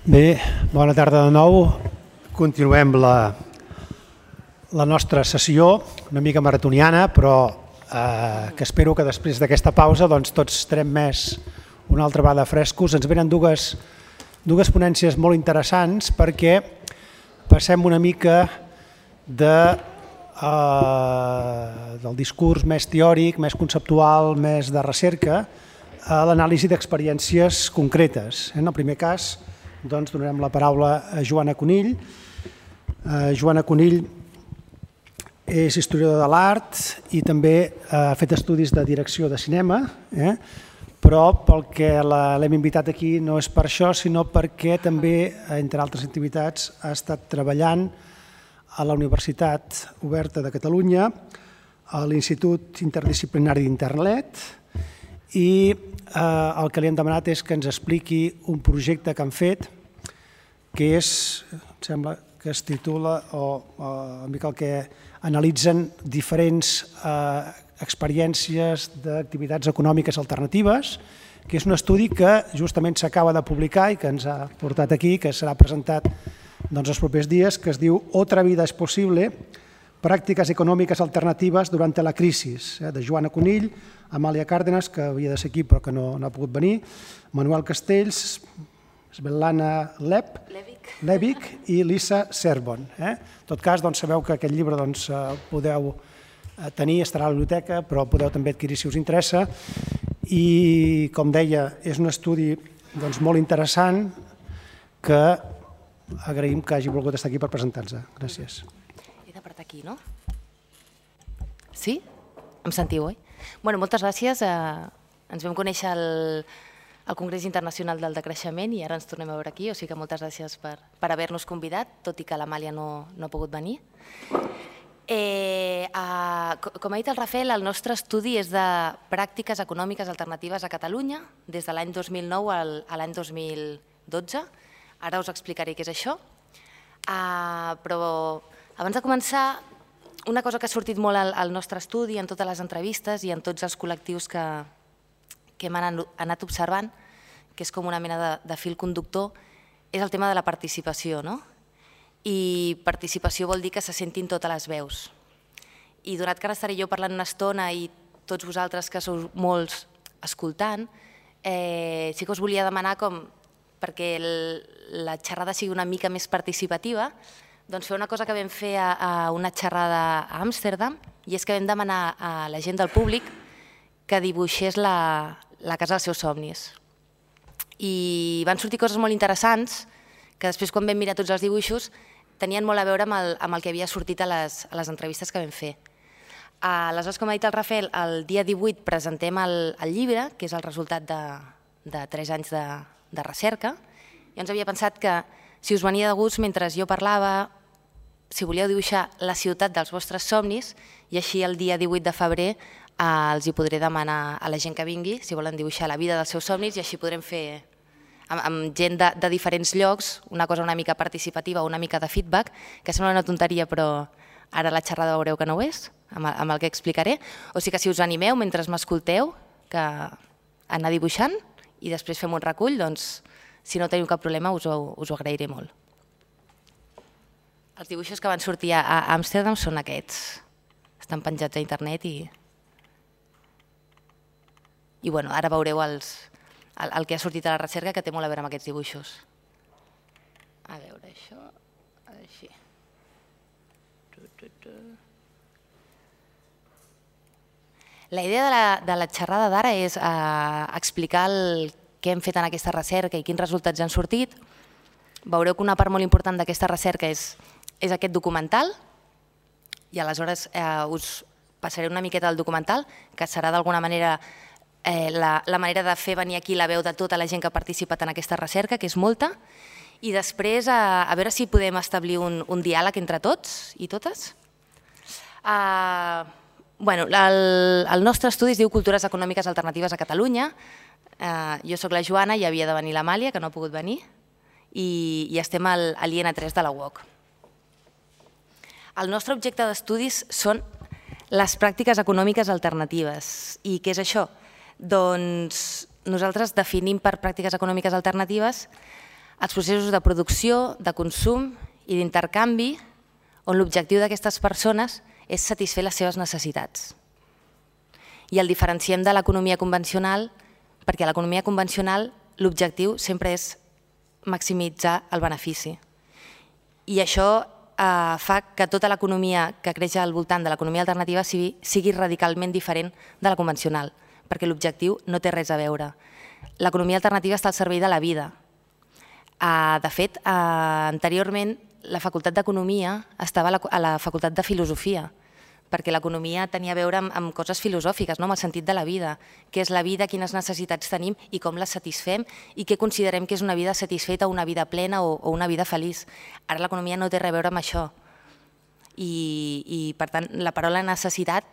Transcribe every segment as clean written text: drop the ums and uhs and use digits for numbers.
Bé, bona tarda de nou. Continuem la nostra sessió, una mica maratoniana, però que espero que després d'aquesta pausa tots estarem més una altra vegada frescos. Ens venen dues ponències molt interessants perquè passem una mica del discurs més teòric, més conceptual, més de recerca, a l'anàlisi d'experiències concretes. En el primer cas, donarem la paraula a Joana Conill. Joana Conill és historiadora de l'art i també ha fet estudis de direcció de cinema, però pel que l'hem invitat aquí no és per això, sinó perquè també, entre altres activitats, ha estat treballant a la Universitat Oberta de Catalunya, a l'Institut Interdisciplinari d'Internet, i el que li hem demanat és que ens expliqui un projecte que han fet que és, em sembla que es titula, o una mica el que analitzen diferents experiències d'activitats econòmiques alternatives, que és un estudi que justament s'acaba de publicar i que ens ha portat aquí, que serà presentat els propers dies, que es diu Otra vida es posible, pràctiques econòmiques alternatives durant la crisi, de Joana Conill, Amàlia Cárdenas, que havia de ser aquí però que no ha pogut venir, Manuel Castells, Svetlana Levic i Lisa Serbon. En tot cas, sabeu que aquest llibre el podeu tenir, estarà a la biblioteca, però podeu també adquirir si us interessa. I, com deia, és un estudi molt interessant que agraïm que hagi volgut estar aquí per presentar-nos. Gràcies. He d'apartar aquí, no? Sí? Em sentiu, oi? Moltes gràcies. Ens vam conèixer al Congrés Internacional del Decreixement i ara ens tornem a veure aquí, o sigui que moltes gràcies per haver-nos convidat, tot i que l'Amàlia no ha pogut venir. Com ha dit el Rafael, el nostre estudi és de pràctiques econòmiques alternatives a Catalunya des de l'any 2009 a l'any 2012. Ara us explicaré què és això. Però abans de començar, una cosa que ha sortit molt al nostre estudi, en totes les entrevistes i en tots els col·lectius que hem anat observant, que és com una mena de fil conductor, és el tema de la participació. I participació vol dir que se sentin totes les veus. I donat que ara estaré jo parlant una estona i tots vosaltres que sou molts escoltant, sí que us volia demanar com perquè la xerrada sigui una mica més participativa, doncs fer una cosa que vam fer a una xerrada a Amsterdam, i és que vam demanar a la gent del públic que dibuixés la casa dels seus somnis. I van sortir coses molt interessants que després, quan vam mirar tots els dibuixos, tenien molt a veure amb el que havia sortit a les entrevistes que vam fer. Aleshores, com ha dit el Rafael, el dia 18 presentem el llibre, que és el resultat de 3 anys de recerca. Jo ens havia pensat que si us venia de gust, mentre jo parlava, si volíeu dibuixar la ciutat dels vostres somnis, i així el dia 18 de febrer els hi podré demanar a la gent que vingui si volen dibuixar la vida dels seus somnis, i així podrem fer amb gent de diferents llocs una cosa una mica participativa, una mica de feedback, que sembla una tonteria, però ara la xerrada veureu que no ho és, amb el que explicaré. O sigui que si us animeu mentre m'escolteu que anar dibuixant i després fem un recull, doncs si no teniu cap problema us ho agrairé molt. Els dibuixos que van sortir a Amsterdam són aquests. Estan penjats a internet i ara veureu el que ha sortit a la recerca, que té molt a veure amb aquests dibuixos. A veure, això, així. La idea de la xerrada d'ara és explicar què hem fet en aquesta recerca i quins resultats han sortit. Veureu que una part molt important d'aquesta recerca és aquest documental, i aleshores us passaré una miqueta del documental, que serà d'alguna manera la manera de fer venir aquí la veu de tota la gent que ha participat en aquesta recerca, que és molta, i després a veure si podem establir un diàleg entre tots i totes. El nostre estudi es diu Cultures econòmiques alternatives a Catalunya. Jo soc la Joana i havia de venir l'Amàlia, que no ha pogut venir, i estem a l'IN3 de la UOC. El nostre objecte d'estudis són les pràctiques econòmiques alternatives. I què és això? Doncs nosaltres definim per pràctiques econòmiques alternatives els processos de producció, de consum i d'intercanvi, on l'objectiu d'aquestes persones és satisfer les seves necessitats. I el diferenciem de l'economia convencional perquè a l'economia convencional l'objectiu sempre és maximitzar el benefici. I això fa que tota l'economia que creix al voltant de l'economia alternativa sigui radicalment diferent de la convencional, perquè l'objectiu no té res a veure. L'economia alternativa està al servei de la vida. De fet, anteriorment la Facultat d'Economia estava a la Facultat de Filosofia, perquè l'economia tenia a veure amb coses filosòfiques, amb el sentit de la vida, què és la vida, quines necessitats tenim i com les satisfem i què considerem que és una vida satisfeta, una vida plena o una vida feliç. Ara l'economia no té res a veure amb això i per tant la paraula necessitat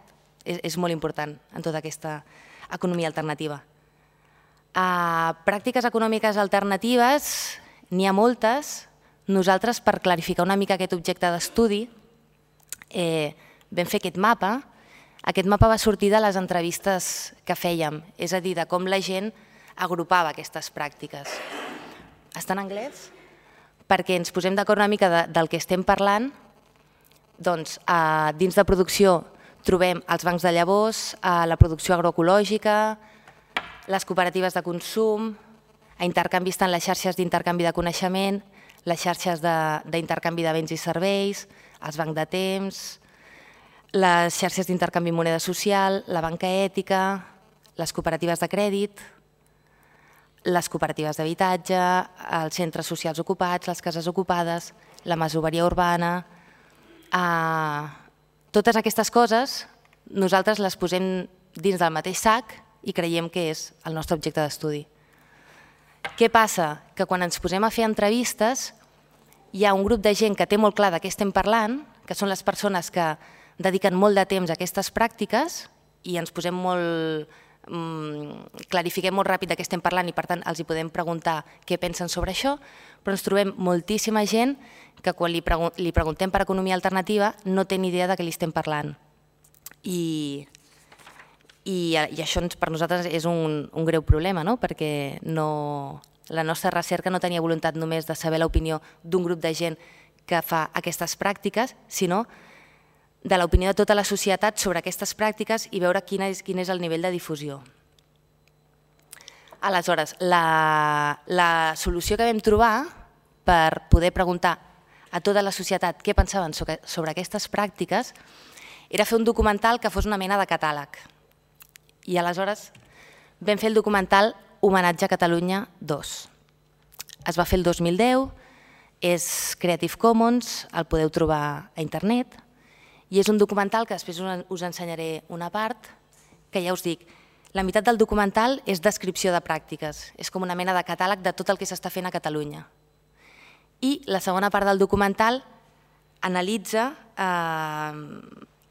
és molt important en tota aquesta economia alternativa. Pràctiques econòmiques alternatives, n'hi ha moltes. Nosaltres, per clarificar una mica aquest objecte d'estudi, vam fer aquest mapa. Aquest mapa va sortir de les entrevistes que fèiem, és a dir, de com la gent agrupava aquestes pràctiques. Està en anglès? Perquè ens posem d'acord una mica del que estem parlant. Doncs dins de producció trobem els bancs de llavors, la producció agroecològica, les cooperatives de consum, a intercanvi estan les xarxes d'intercanvi de coneixement, les xarxes d'intercanvi de béns i serveis, els bancs de temps, les xarxes d'intercanvi moneda social, la banca ètica, les cooperatives de crèdit, les cooperatives d'habitatge, els centres socials ocupats, les cases ocupades, la masoveria urbana. Totes aquestes coses nosaltres les posem dins del mateix sac i creiem que és el nostre objecte d'estudi. Què passa? Que quan ens posem a fer entrevistes hi ha un grup de gent que té molt clar de què estem parlant, que són les persones que dediquen molt de temps a aquestes pràctiques i ens posem molt... clarifiquem molt ràpid de què estem parlant i per tant els hi podem preguntar què pensen sobre això, però ens trobem moltíssima gent que quan li preguntem per economia alternativa no té ni idea de què li estem parlant. I això per nosaltres és un greu problema, perquè la nostra recerca no tenia voluntat només de saber l'opinió d'un grup de gent que fa aquestes pràctiques, sinó de l'opinió de tota la societat sobre aquestes pràctiques i veure quin és el nivell de difusió. Aleshores, la solució que vam trobar per poder preguntar a tota la societat què pensaven sobre aquestes pràctiques era fer un documental que fos una mena de catàleg. I aleshores vam fer el documental Homenatge a Catalunya 2. Es va fer el 2010, és Creative Commons, el podeu trobar a internet, i és un documental que després us ensenyaré una part, que ja us dic, la meitat del documental és descripció de pràctiques, és com una mena de catàleg de tot el que s'està fent a Catalunya. I la segona part del documental analitza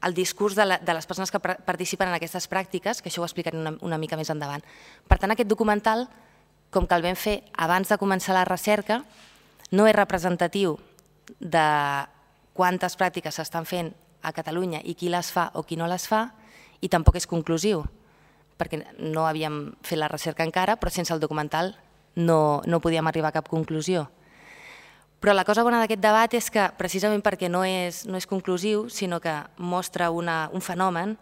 el discurs de les persones que participen en aquestes pràctiques, que això ho explicaré una mica més endavant. Per tant, aquest documental, com que el vam fer abans de començar la recerca, no és representatiu de quantes pràctiques s'estan fent a Catalunya i qui les fa o qui no les fa, i tampoc és conclusiu, perquè no havíem fet la recerca encara, però sense el documental no podíem arribar a cap conclusió. Però la cosa bona d'aquest debat és que, precisament perquè no és conclusiu, sinó que mostra un fenomen,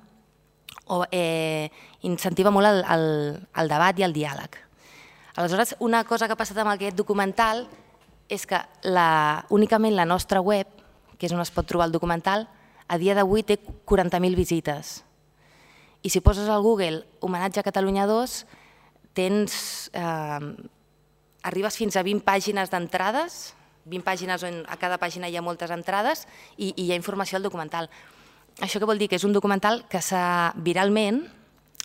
incentiva molt el debat i el diàleg. Aleshores, una cosa que ha passat amb aquest documental és que únicament la nostra web, que és on es pot trobar el documental, a dia d'avui té 40.000 visites. I si poses al Google Homenatge a Catalunya 2, arribes fins a 20 pàgines d'entrades, 20 pàgines on a cada pàgina hi ha moltes entrades i hi ha informació al documental. Això què vol dir? Que és un documental que viralment,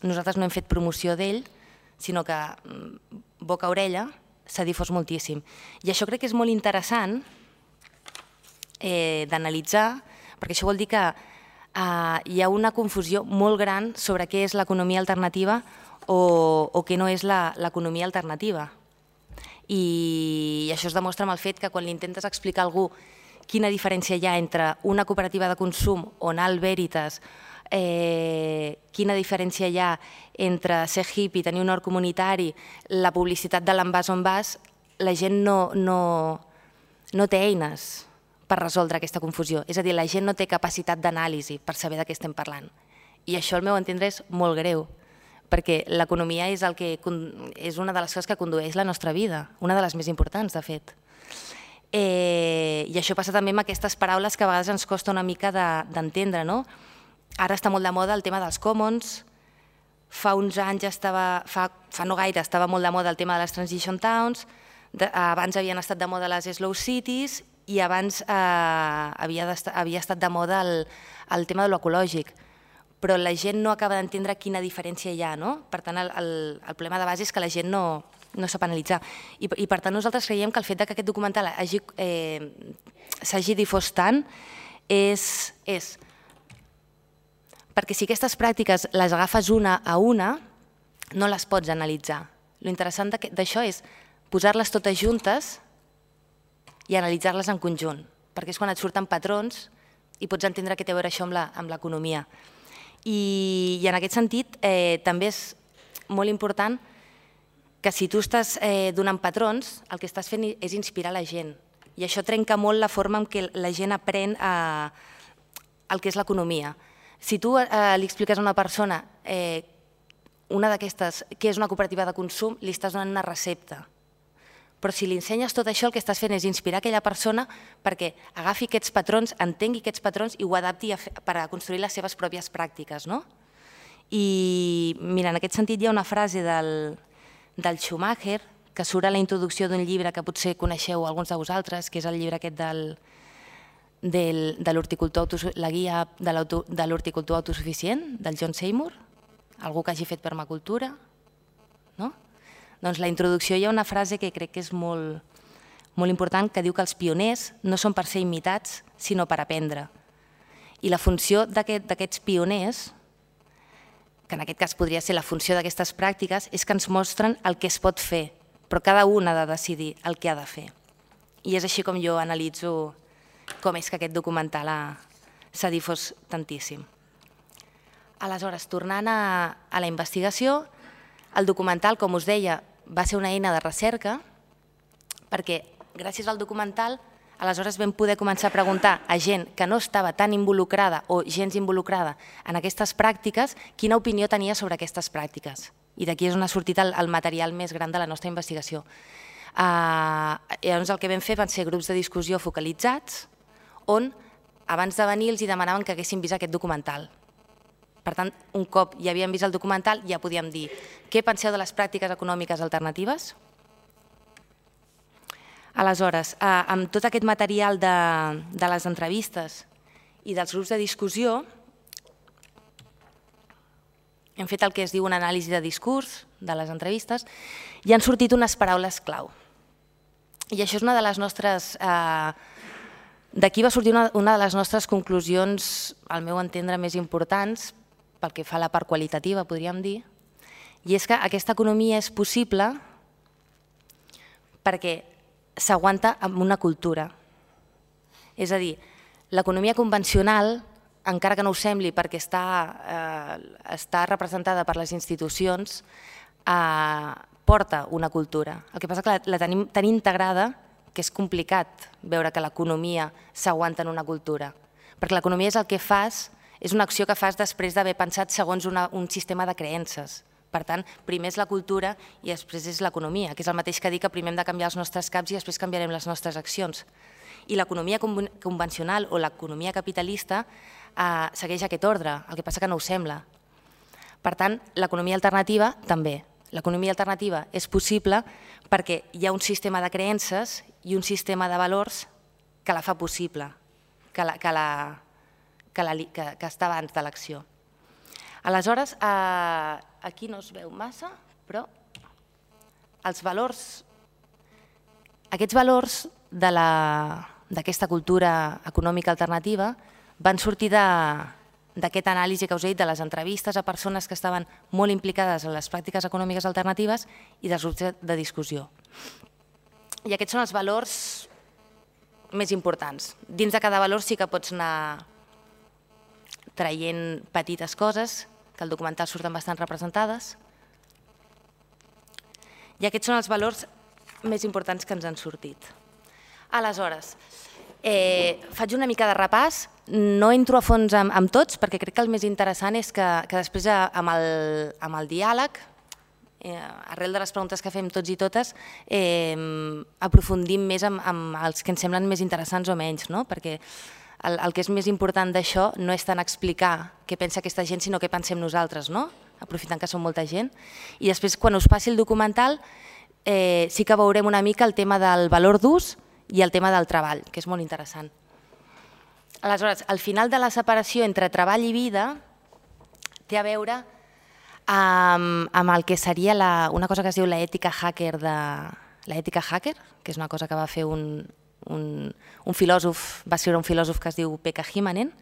nosaltres no hem fet promoció d'ell, sinó que boca a orella s'ha difós moltíssim. I això crec que és molt interessant d'analitzar, perquè això vol dir que hi ha una confusió molt gran sobre què és l'economia alternativa o què no és l'economia alternativa. I això es demostra amb el fet que quan li intentes explicar a algú quina diferència hi ha entre una cooperativa de consum o anar al Veritas, quina diferència hi ha entre ser hippie, tenir un hort comunitari, la publicitat de l'envàs on vas, la gent no té eines per resoldre aquesta confusió. És a dir, la gent no té capacitat d'anàlisi per saber de què estem parlant. I això, al meu entendre, és molt greu, perquè l'economia és una de les coses que condueix la nostra vida, una de les més importants, de fet. I això passa també amb aquestes paraules que a vegades ens costa una mica d'entendre, no? Ara està molt de moda el tema dels commons, fa uns anys fa no gaire estava molt de moda el tema de les transition towns, abans havien estat de moda les slow cities i abans havia estat de moda el tema de l'ecològic, però la gent no acaba d'entendre quina diferència hi ha, no? Per tant, el problema de base és que la gent no sap analitzar. I per tant nosaltres creiem que el fet que aquest documental s'hagi difós tant és perquè si aquestes pràctiques les agafes una a una, no les pots analitzar. Lo interessant d'això és posar-les totes juntes i analitzar-les en conjunt, perquè és quan et surten patrons i pots entendre què té a veure això amb l'economia. I en aquest sentit també és molt important que si tu estàs donant patrons, el que estàs fent és inspirar la gent. I això trenca molt la forma en què la gent aprèn el que és l'economia. Si tu li expliques a una persona una d'aquestes, què és una cooperativa de consum, li estàs donant una recepta. Però si li ensenyes tot això, el que estàs fent és inspirar aquella persona perquè agafi aquests patrons, entengui aquests patrons i ho adapti per a construir les seves pròpies pràctiques. I mira, en aquest sentit hi ha una frase del Schumacher que surt a la introducció d'un llibre que potser coneixeu alguns de vosaltres, que és el llibre aquest de l'horticultor, la guia de l'horticultor autosuficient, del John Seymour, algú que hagi fet permacultura, no? Doncs la introducció hi ha una frase que crec que és molt important, que diu que els pioners no són per ser imitats, sinó per aprendre. I la funció d'aquests pioners, que en aquest cas podria ser la funció d'aquestes pràctiques, és que ens mostren el que es pot fer, però cada un ha de decidir el que ha de fer. I és així com jo analitzo com és que aquest documental s'ha difós tantíssim. Aleshores, tornant a la investigació, el documental, com us deia, va ser una eina de recerca perquè gràcies al documental aleshores vam poder començar a preguntar a gent que no estava tan involucrada o gens involucrada en aquestes pràctiques quina opinió tenia sobre aquestes pràctiques. I d'aquí és on ha sortit el material més gran de la nostra investigació. Llavors el que vam fer van ser grups de discussió focalitzats on abans de venir els demanaven que haguessin vist aquest documental. Per tant, un cop ja havíem vist el documental, ja podíem dir què penseu de les pràctiques econòmiques alternatives? Aleshores, amb tot aquest material de les entrevistes i dels grups de discussió, hem fet el que es diu una anàlisi de discurs de les entrevistes i han sortit unes paraules clau. I això és una de les nostres... D'aquí va sortir una de les nostres conclusions, al meu entendre, més importants, pel que fa a la part qualitativa, podríem dir, i és que aquesta economia és possible perquè s'aguanta amb una cultura. És a dir, l'economia convencional, encara que no ho sembli perquè està representada per les institucions, porta una cultura. El que passa és que la tenim tan integrada que és complicat veure que l'economia s'aguanta en una cultura. Perquè l'economia és el que fas, és una acció que fas després d'haver pensat segons un sistema de creences. Per tant, primer és la cultura i després és l'economia, que és el mateix que dir que primer hem de canviar els nostres caps i després canviarem les nostres accions. I l'economia convencional o l'economia capitalista segueix aquest ordre, el que passa que no ho sembla. Per tant, l'economia alternativa també. L'economia alternativa és possible perquè hi ha un sistema de creences i un sistema de valors que la fa possible, que està abans de l'acció. Aleshores, aquí no es veu massa, però els valors, aquests valors d'aquesta cultura econòmica alternativa van sortir d'aquesta anàlisi que us he dit de les entrevistes a persones que estaven molt implicades en les pràctiques econòmiques alternatives i dels grups de discussió. I aquests són els valors més importants. Dins de cada valor sí que pots anar traient petites coses, que al documental surten bastant representades. I aquests són els valors més importants que ens han sortit. Aleshores, faig una mica de repàs, no entro a fons amb tots perquè crec que el més interessant és que després amb el diàleg, arrel de les preguntes que fem tots i totes, aprofundim més amb els que ens semblen més interessants o menys, perquè el que és més important d'això no és tant explicar què pensa aquesta gent, sinó què pensem nosaltres, aprofitant que som molta gent. I després, quan us passi el documental, sí que veurem una mica el tema del valor d'ús i el tema del treball, que és molt interessant. Aleshores, al final de la separació entre treball i vida té a veure amb el que seria una cosa que es diu l'ètica hacker, que és una cosa que va fer un filòsof, va escriure un filòsof que es diu Pekka Himanen,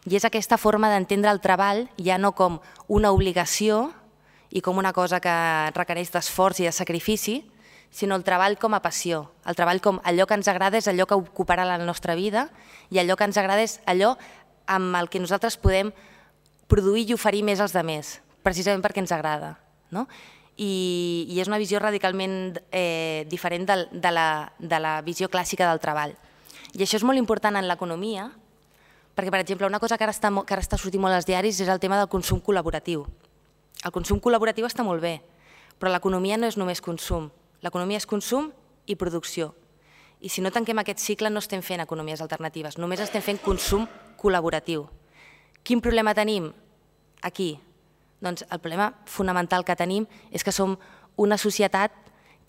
i és aquesta forma d'entendre el treball ja no com una obligació i com una cosa que requereix d'esforç i de sacrifici, sinó el treball com a passió. El treball com allò que ens agrada és allò que ocuparà la nostra vida i allò que ens agrada és allò amb el que nosaltres podem produir i oferir més als altres, precisament perquè ens agrada. I és una visió radicalment diferent de la visió clàssica del treball. I això és molt important en l'economia, perquè, per exemple, una cosa que ara està sortint molt als diaris és el tema del consum col·laboratiu. El consum col·laboratiu està molt bé, però l'economia no és només consum. L'economia és consum i producció. I si no tanquem aquest cicle no estem fent economies alternatives, només estem fent consum col·laboratiu. Quin problema tenim aquí? Doncs el problema fonamental que tenim és que som una societat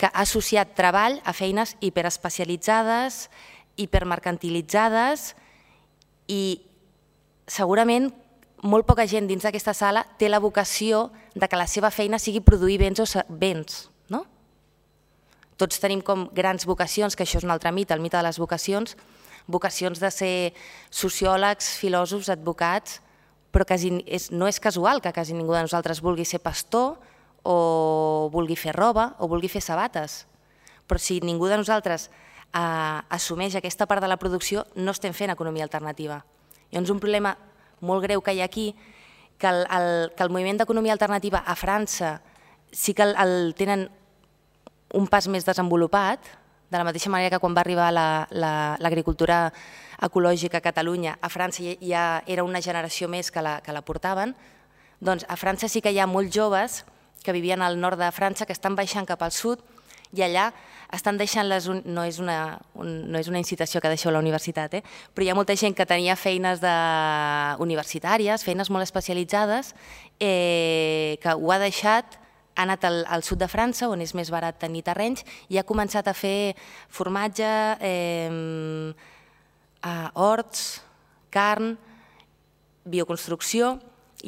que ha associat treball a feines hiperespecialitzades, hipermercantilitzades i segurament molt poca gent dins d'aquesta sala té la vocació de que la seva feina sigui produir béns o béns. Tots tenim com grans vocacions, que això és un altre mite, el mite de les vocacions de ser sociòlegs, filòsofs, advocats, però no és casual que quasi ningú de nosaltres vulgui ser pastor o vulgui fer roba o vulgui fer sabates. Però si ningú de nosaltres assumeix aquesta part de la producció, no estem fent economia alternativa. Llavors, un problema molt greu que hi ha aquí, que el moviment d'economia alternativa a França sí que el tenen un pas més desenvolupat, de la mateixa manera que quan va arribar l'agricultura ecològica a Catalunya, a França ja era una generació més que la portaven, doncs a França sí que hi ha molts joves que vivien al nord de França que estan baixant cap al sud i allà estan deixant no és una incitació que deixeu a la universitat, però hi ha molta gent que tenia feines universitàries, feines molt especialitzades, que ho ha deixat, ha anat al sud de França, on és més barat tenir terrenys, i ha començat a fer formatge, horts, carn, bioconstrucció,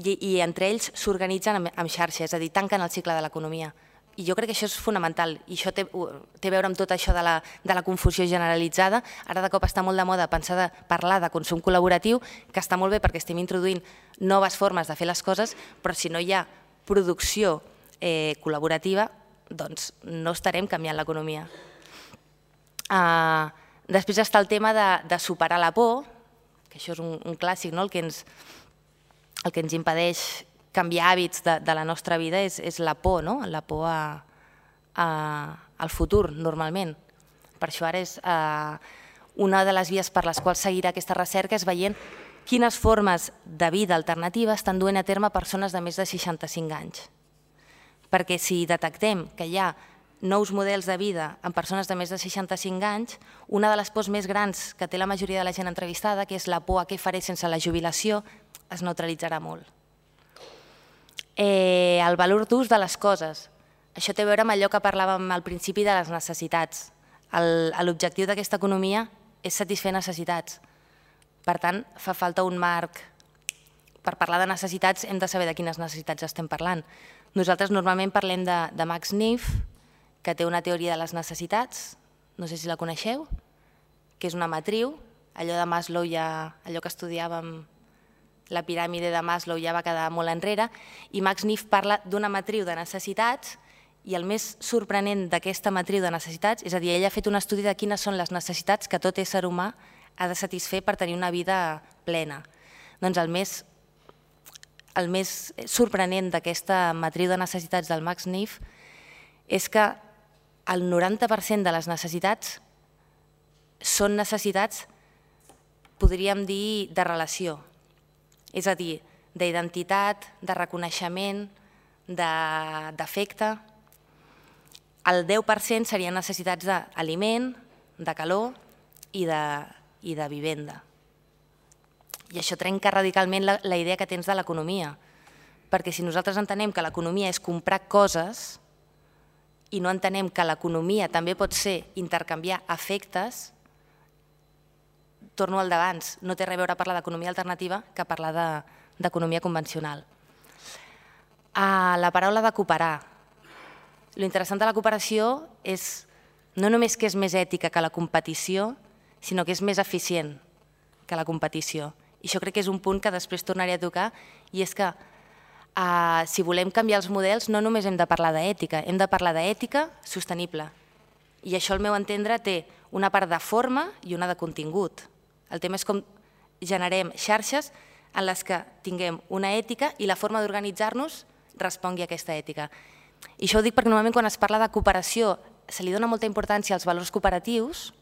i entre ells s'organitzen amb xarxa, és a dir, tanquen el cicle de l'economia. I jo crec que això és fonamental, i això té a veure amb tot això de la confusió generalitzada. Ara de cop està molt de moda parlar de consum col·laboratiu, que està molt bé perquè estem introduint noves formes de fer les coses, però si no hi ha producció col·laborativa, doncs no estarem canviant l'economia. Després està el tema de superar la por, que això és un clàssic, el que ens impedeix canviar hàbits de la nostra vida és la por, la por al futur, normalment. Per això ara és una de les vies per les quals seguirà aquesta recerca és veient quines formes de vida alternativa estan duent a terme persones de més de 65 anys. Perquè si detectem que hi ha nous models de vida en persones de més de 65 anys, una de les pors més grans que té la majoria de la gent entrevistada, que és la por a què faré sense la jubilació, es neutralitzarà molt. El valor d'ús de les coses. Això té a veure amb allò que parlàvem al principi de les necessitats. L'objectiu d'aquesta economia és satisfer necessitats. Per tant, fa falta un marc. Per parlar de necessitats hem de saber de quines necessitats estem parlant. Nosaltres normalment parlem de Max Neff, que té una teoria de les necessitats, no sé si la coneixeu, que és una matriu, allò de Maslow, allò que estudiàvem, la piràmide de Maslow ja va quedar molt enrere, i Max Neff parla d'una matriu de necessitats, i el més sorprenent d'aquesta matriu de necessitats, és a dir, ell ha fet un estudi de quines són les necessitats que tot ésser humà ha de satisfer per tenir una vida plena. Doncs el més sorprenent d'aquesta matriu de necessitats del Max Neff és que el 90% de les necessitats són necessitats, podríem dir, de relació. És a dir, d'identitat, de reconeixement, d'afecte. El 10% serien necessitats d'aliment, de calor i de vivenda. I això trenca radicalment la idea que tens de l'economia, perquè si nosaltres entenem que l'economia és comprar coses i no entenem que l'economia també pot ser intercanviar afectes, torno al d'abans, no té res a veure parlar d'economia alternativa que parlar d'economia convencional. La paraula de cooperar. L'interessant de la cooperació és no només que és més ètica que la competició, sinó que és més eficient que la competició. I això crec que és un punt que després tornaré a tocar, i és que si volem canviar els models no només hem de parlar d'ètica, hem de parlar d'ètica sostenible. I això, al meu entendre, té una part de forma i una de contingut. El tema és com generem xarxes en les que tinguem una ètica i la forma d'organitzar-nos respongui a aquesta ètica. I això ho dic perquè normalment quan es parla de cooperació se li dona molta importància als valors cooperatius,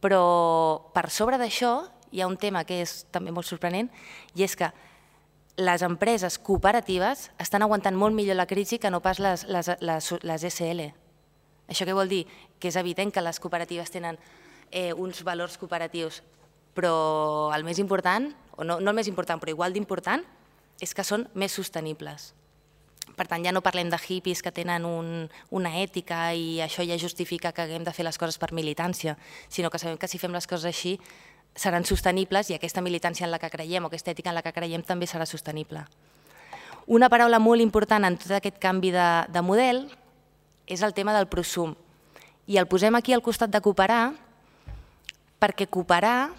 però per sobre d'això hi ha un tema que és també molt sorprenent, i és que les empreses cooperatives estan aguantant molt millor la crisi que no pas les SL. Això què vol dir? Que és evident que les cooperatives tenen uns valors cooperatius, però el més important, o no el més important, però igual d'important, és que són més sostenibles. Per tant, ja no parlem de hippies que tenen una ètica i això ja justifica que haguem de fer les coses per militància, sinó que sabem que si fem les coses així seran sostenibles i aquesta militància en la que creiem o aquesta ètica en la que creiem també serà sostenible. Una paraula molt important en tot aquest canvi de model és el tema del prosum. I el posem aquí al costat de cooperar perquè cooperar,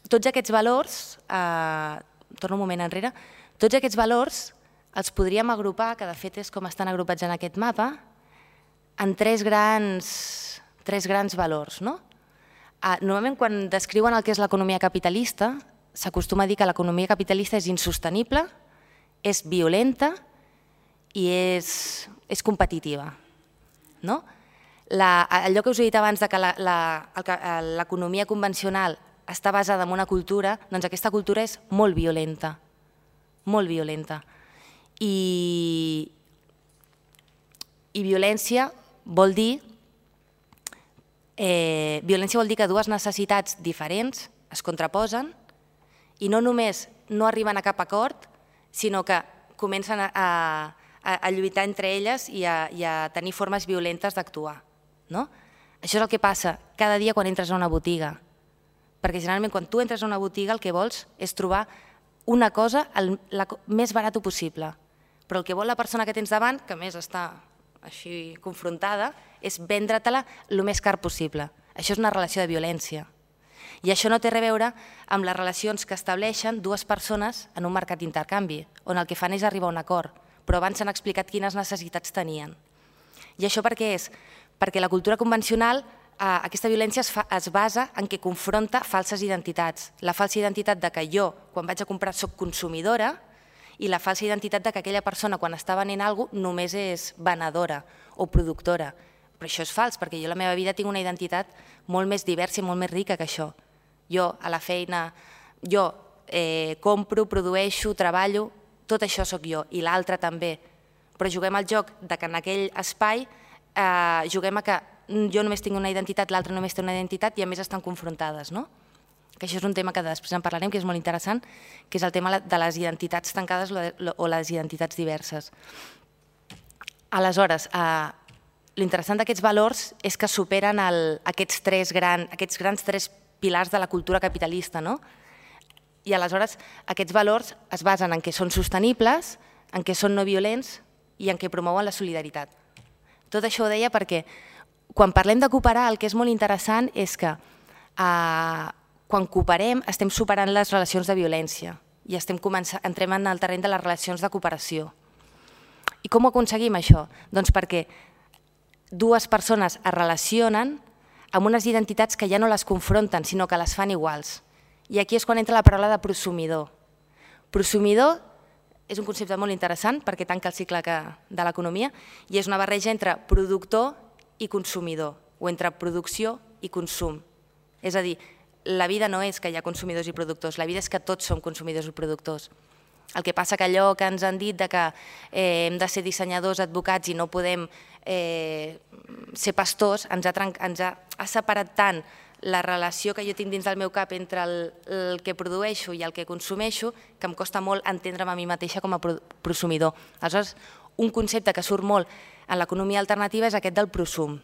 tots aquests valors, torno un moment enrere, tots aquests valors els podríem agrupar, que de fet és com estan agrupats en aquest mapa, en tres grans valors. Normalment quan descriuen el que és l'economia capitalista, s'acostuma a dir que l'economia capitalista és insostenible, és violenta i és competitiva. Allò que us he dit abans que l'economia convencional està basada en una cultura, doncs aquesta cultura és molt violenta, molt violenta. I violència vol dir que dues necessitats diferents es contraposen i no només no arriben a cap acord, sinó que comencen a lluitar entre elles i a tenir formes violentes d'actuar. Això és el que passa cada dia quan entres a una botiga, perquè generalment quan tu entres a una botiga el que vols és trobar una cosa el més barat possible, però el que vol la persona que tens davant, que més està així confrontada, és vendre-te-la el més car possible. Això és una relació de violència. I això no té res a veure amb les relacions que estableixen dues persones en un mercat d'intercanvi, on el que fan és arribar a un acord, però abans s'han explicat quines necessitats tenien. I això per què és? Perquè la cultura convencional, aquesta violència es basa en que confronta falses identitats. La falsa identitat de que jo, quan vaig a comprar, soc consumidora, i la falsa identitat de que aquella persona, quan està venent alguna cosa, només és venedora o productora. Però això és fals, perquè jo a la meva vida tinc una identitat molt més diversa i molt més rica que això. Jo, a la feina, jo compro, produeixo, treballo, tot això sóc jo, i l'altre també. Però juguem al joc de que en aquell espai juguem a que jo només tinc una identitat, l'altre només té una identitat i a més estan confrontades, no? Que això és un tema que després en parlarem, que és molt interessant, que és el tema de les identitats tancades o les identitats diverses. Aleshores, l'interessant d'aquests valors és que superen aquests grans tres pilars de la cultura capitalista, no? I aleshores aquests valors es basen en què són sostenibles, en què són no violents i en què promouen la solidaritat. Tot això ho deia perquè quan parlem de cooperar el que és molt interessant és que quan cooperem estem superant les relacions de violència i entrem en el terreny de les relacions de cooperació. I com ho aconseguim això? Doncs perquè dues persones es relacionen amb unes identitats que ja no les confronten, sinó que les fan iguals. I aquí és quan entra la paraula de prosumidor. Prosumidor és un concepte molt interessant perquè tanca el cicle de l'economia i és una barreja entre productor i consumidor, o entre producció i consum. És a dir, la vida no és que hi ha consumidors i productors, la vida és que tots som consumidors i productors. El que passa que allò que ens han dit de que hem de ser dissenyadors, advocats i no podem ser pastors, ens ha separat tant la relació que jo tinc dins del meu cap entre el que produeixo i el que consumeixo que em costa molt entendre'm a mi mateixa com a prosumidor. Aleshores, un concepte que surt molt en l'economia alternativa és aquest del prosum.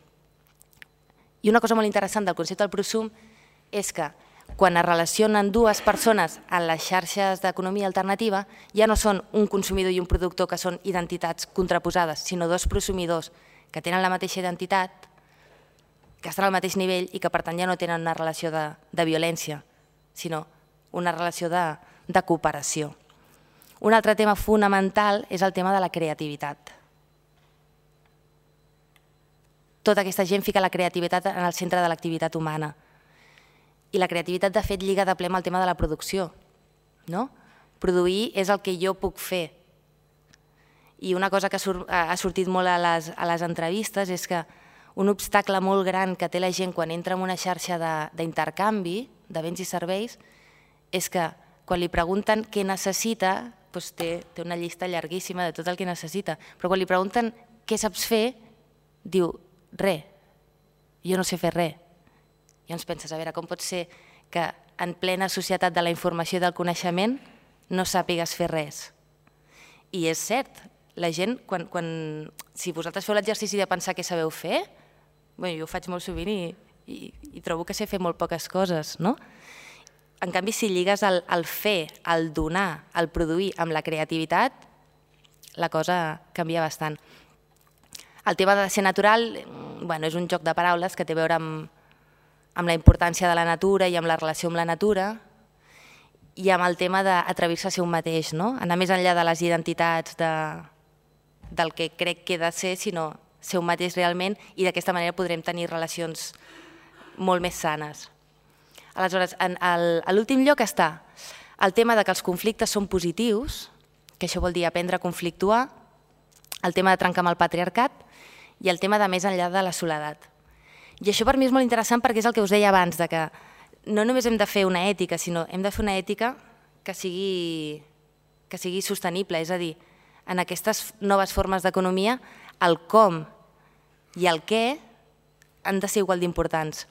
I una cosa molt interessant del concepte del prosum és que quan es relacionen dues persones en les xarxes d'economia alternativa ja no són un consumidor i un productor que són identitats contraposades, sinó dos prosumidors que tenen la mateixa identitat, que estan al mateix nivell i que per tant ja no tenen una relació de violència, sinó una relació de cooperació. Un altre tema fonamental és el tema de la creativitat. Tota aquesta gent fica la creativitat en el centre de l'activitat humana. I la creativitat, de fet, lliga de ple amb el tema de la producció. Produir és el que jo puc fer. I una cosa que ha sortit molt a les entrevistes és que un obstacle molt gran que té la gent quan entra en una xarxa d'intercanvi de béns i serveis és que quan li pregunten què necessita, té una llista llarguíssima de tot el que necessita, però quan li pregunten què saps fer, diu res, jo no sé fer res. I ens penses, a veure, com pot ser que en plena societat de la informació i del coneixement no sàpigues fer res? I és cert, la gent, si vosaltres feu l'exercici de pensar què sabeu fer, jo ho faig molt sovint i trobo que sé fer molt poques coses, no? En canvi, si lligues el fer, el donar, el produir amb la creativitat, la cosa canvia bastant. El tema de ser natural és un joc de paraules que té a veure amb la importància de la natura i amb la relació amb la natura i amb el tema d'atrevir-se a ser un mateix, anar més enllà de les identitats del que crec que he de ser, sinó ser un mateix realment i d'aquesta manera podrem tenir relacions molt més sanes. Aleshores, a l'últim lloc està el tema que els conflictes són positius, que això vol dir aprendre a conflictuar, el tema de trencar amb el patriarcat i el tema de més enllà de la soledat. I això per mi és molt interessant perquè és el que us deia abans, que no només hem de fer una ètica, sinó hem de fer una ètica que sigui sostenible, és a dir, en aquestes noves formes d'economia, el com i el què han de ser igual d'importants.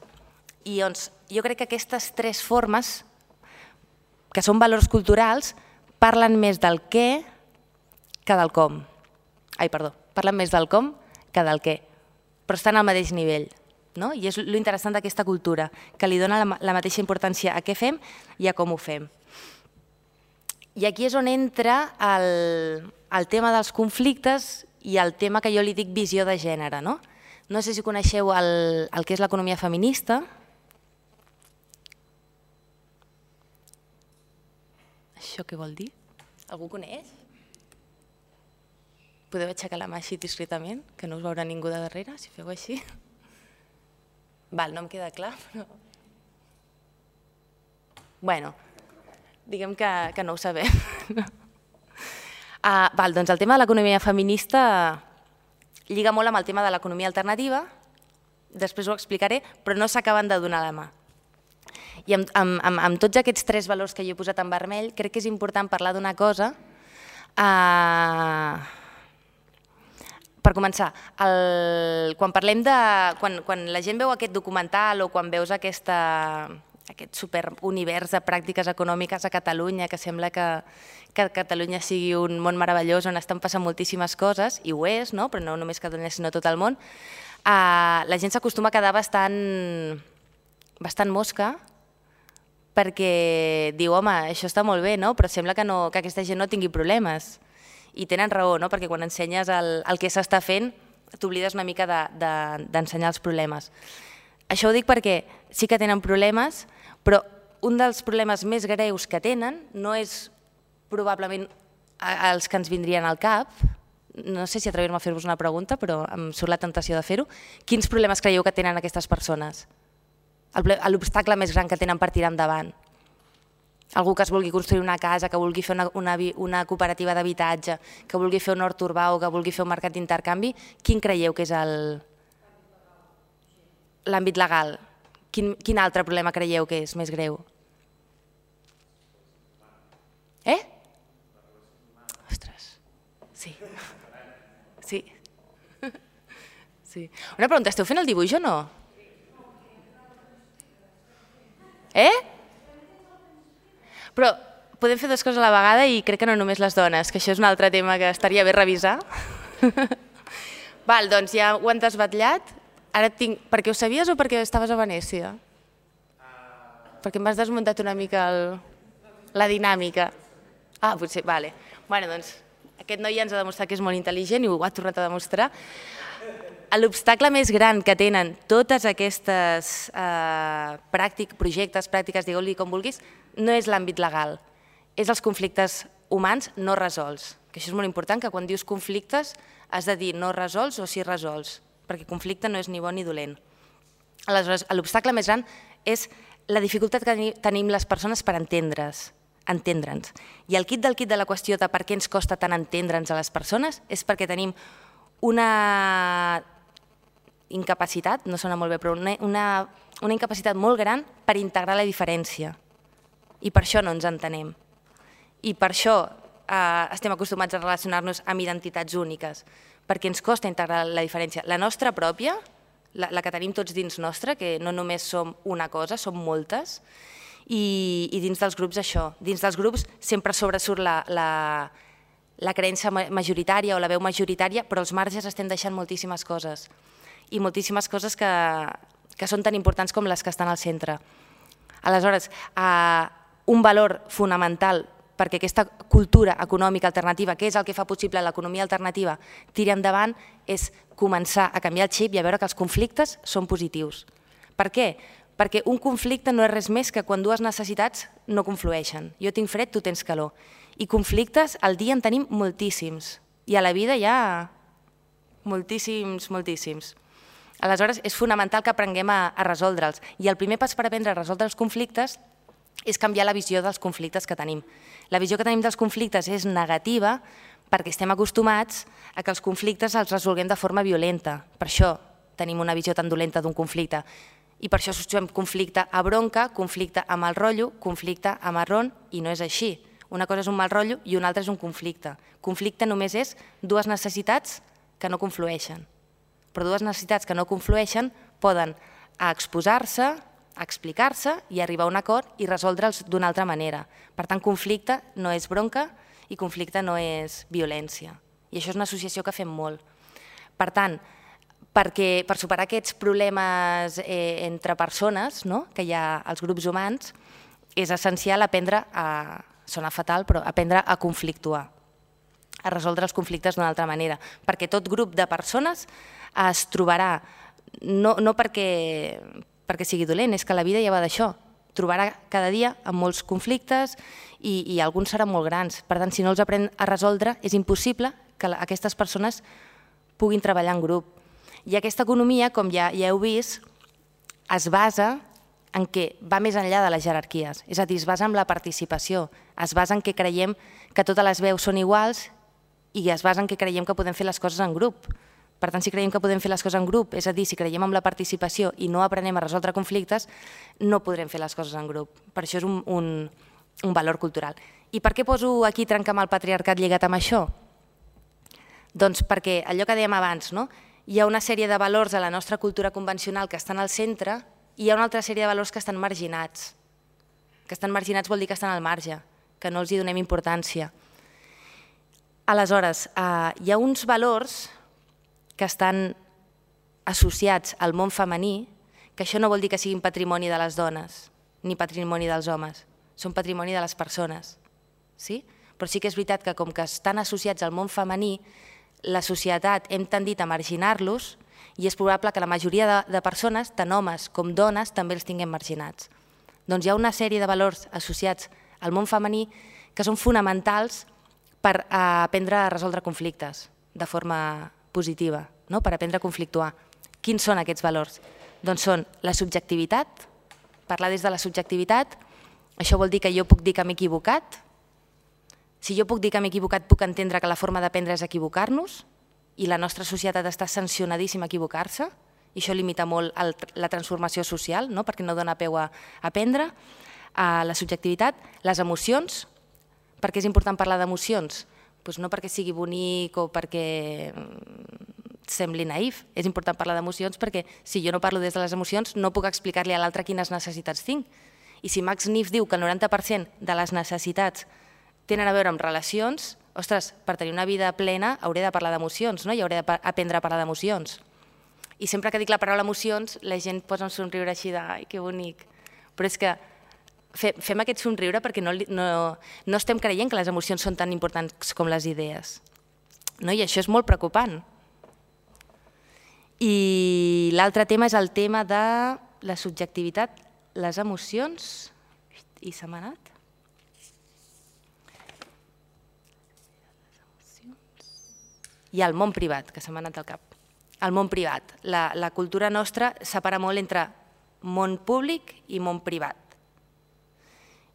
I jo crec que aquestes tres formes, que són valors culturals, parlen més del què que del com. Parlen més del com que del què, però estan al mateix nivell. I és l'interessant d'aquesta cultura, que li dona la mateixa importància a què fem i a com ho fem. I aquí és on entra el tema dels conflictes i el tema que jo li dic visió de gènere. No sé si coneixeu el que és l'economia feminista. Això què vol dir? Algú coneix? Podeu aixecar la mà així discretament, que no us veurà ningú de darrere, si feu així. No em queda clar, però... diguem que no ho sabem. Doncs el tema de l'economia feminista lliga molt amb el tema de l'economia alternativa, després ho explicaré, però no s'acaben de donar la mà. I amb tots aquests tres valors que jo he posat en vermell, crec que és important parlar d'una cosa. Per començar, quan la gent veu aquest documental o quan veus aquest superunivers de pràctiques econòmiques a Catalunya, que sembla que Catalunya sigui un món meravellós on estan passant moltíssimes coses, i ho és, però no només Catalunya sinó tot el món, la gent s'acostuma a quedar bastant mosca perquè diu, home, això està molt bé, però sembla que aquesta gent no tingui problemes. I tenen raó, perquè quan ensenyes el que s'està fent t'oblides una mica d'ensenyar els problemes. Això ho dic perquè sí que tenen problemes, però un dels problemes més greus que tenen no és probablement els que ens vindrien al cap. No sé si atrevir-me a fer-vos una pregunta, però em surt la tentació de fer-ho. Quins problemes creieu que tenen aquestes persones? L'obstacle més gran que tenen per tirar endavant? Algú que es vulgui construir una casa, que vulgui fer una cooperativa d'habitatge, que vulgui fer un hort urbà o que vulgui fer un mercat d'intercanvi, quin creieu que és el... l'àmbit legal, quin altre problema creieu que és més greu? Ostres, sí. Sí. Una pregunta, esteu fent el dibuix o no? Però podem fer dues coses a la vegada i crec que no només les dones, que això és un altre tema que estaria bé revisar. Val, doncs ja ho han desbatllat. Ara tinc... Perquè ho sabies o perquè estaves a Venècia? Perquè m'has desmuntat una mica la dinàmica. Ah, potser, vale. Bueno, doncs aquest noi ja ens ha demostrat que és molt intel·ligent i ho ha tornat a demostrar. L'obstacle més gran que tenen totes aquestes projectes, pràctiques, digueu-li com vulguis, no és l'àmbit legal, és els conflictes humans no resolts. Que això és molt important, que quan dius conflictes has de dir no resolts o sí resolts, perquè conflicte no és ni bon ni dolent. Aleshores, l'obstacle més gran és la dificultat que tenim les persones per entendre'ns. I el quid de la qüestió de per què ens costa tant entendre'ns a les persones és perquè tenim una incapacitat, no sona molt bé, però una incapacitat molt gran per integrar la diferència. I per això no ens entenem. I per això estem acostumats a relacionar-nos amb identitats úniques, perquè ens costa integrar la diferència. La nostra pròpia, la que tenim tots dins nostra, que no només som una cosa, som moltes, i dins dels grups això. Dins dels grups sempre sobresurt la creença majoritària o la veu majoritària, però als marges estem deixant moltíssimes coses. I moltíssimes coses que són tan importants com les que estan al centre. Aleshores, un valor fonamental perquè aquesta cultura econòmica alternativa, que és el que fa possible l'economia alternativa, tiri endavant, és començar a canviar el xip i a veure que els conflictes són positius. Per què? Perquè un conflicte no és res més que quan dues necessitats no conflueixen. Jo tinc fred, tu tens calor. I conflictes al dia en tenim moltíssims. I a la vida hi ha moltíssims, moltíssims. Aleshores, és fonamental que aprenguem a resoldre'ls. I el primer pas per aprendre a resoldre els conflictes és canviar la visió dels conflictes que tenim. La visió que tenim dels conflictes és negativa perquè estem acostumats a que els conflictes els resolguem de forma violenta. Per això tenim una visió tan dolenta d'un conflicte. I per això associem conflicte a bronca, conflicte a mal rotllo, conflicte a marrón, i no és així. Una cosa és un mal rotllo i una altra és un conflicte. Conflicte només és dues necessitats que no conflueixen. Però dues necessitats que no conflueixen poden exposar-se, explicar-se i arribar a un acord i resoldre'ls d'una altra manera. Per tant, conflicte no és bronca i conflicte no és violència. I això és una associació que fem molt. Per tant, per superar aquests problemes entre persones que hi ha als grups humans, és essencial aprendre a, sona fatal, però aprendre a conflictuar, a resoldre els conflictes d'una altra manera, perquè tot grup de persones es trobarà, no perquè sigui dolent, és que la vida ja va d'això, trobarà cada dia amb molts conflictes i alguns seran molt grans. Per tant, si no els aprèn a resoldre, és impossible que aquestes persones puguin treballar en grup. I aquesta economia, com ja heu vist, es basa en què va més enllà de les jerarquies, és a dir, es basa en la participació, es basa en què creiem que totes les veus són iguals i es basa en què creiem que podem fer les coses en grup. Per tant, si creiem que podem fer les coses en grup, és a dir, si creiem en la participació i no aprenem a resoldre conflictes, no podrem fer les coses en grup. Per això és un valor cultural. I per què poso aquí trencar amb el patriarcat lligat amb això? Doncs perquè allò que dèiem abans, hi ha una sèrie de valors a la nostra cultura convencional que estan al centre i hi ha una altra sèrie de valors que estan marginats. Que estan marginats vol dir que estan al marge, que no els hi donem importància. Aleshores, hi ha uns valors que estan associats al món femení, que això no vol dir que siguin patrimoni de les dones, ni patrimoni dels homes, són patrimoni de les persones. Però sí que és veritat que com que estan associats al món femení, la societat hem tendit a marginar-los i és probable que la majoria de persones, tant homes com dones, també els tinguem marginats. Doncs hi ha una sèrie de valors associats al món femení que són fonamentals per aprendre a resoldre conflictes de forma positiva, per aprendre a conflictuar. Quins són aquests valors? Doncs són la subjectivitat, parlar des de la subjectivitat, això vol dir que jo puc dir que m'he equivocat. Si jo puc dir que m'he equivocat, puc entendre que la forma d'aprendre és equivocar-nos i la nostra societat està sancionadíssima a equivocar-se i això limita molt la transformació social, perquè no dona peu a aprendre, a la subjectivitat, les emocions. Per què és important parlar d'emocions? No perquè sigui bonic o perquè sembli naïf, és important parlar d'emocions perquè si jo no parlo des de les emocions no puc explicar-li a l'altre quines necessitats tinc. I si Max Neef diu que el 90% de les necessitats tenen a veure amb relacions, ostres, per tenir una vida plena hauré de parlar d'emocions i hauré d'aprendre a parlar d'emocions. I sempre que dic la paraula emocions, la gent posa un somriure així de «ai, que bonic». Però és que fem aquest somriure perquè no estem creient que les emocions són tan importants com les idees. I això és molt preocupant. I l'altre tema és el tema de la subjectivitat, les emocions, i se m'ha anat. I el món privat, que se m'ha anat al cap. El món privat. La cultura nostra separa molt entre món públic i món privat.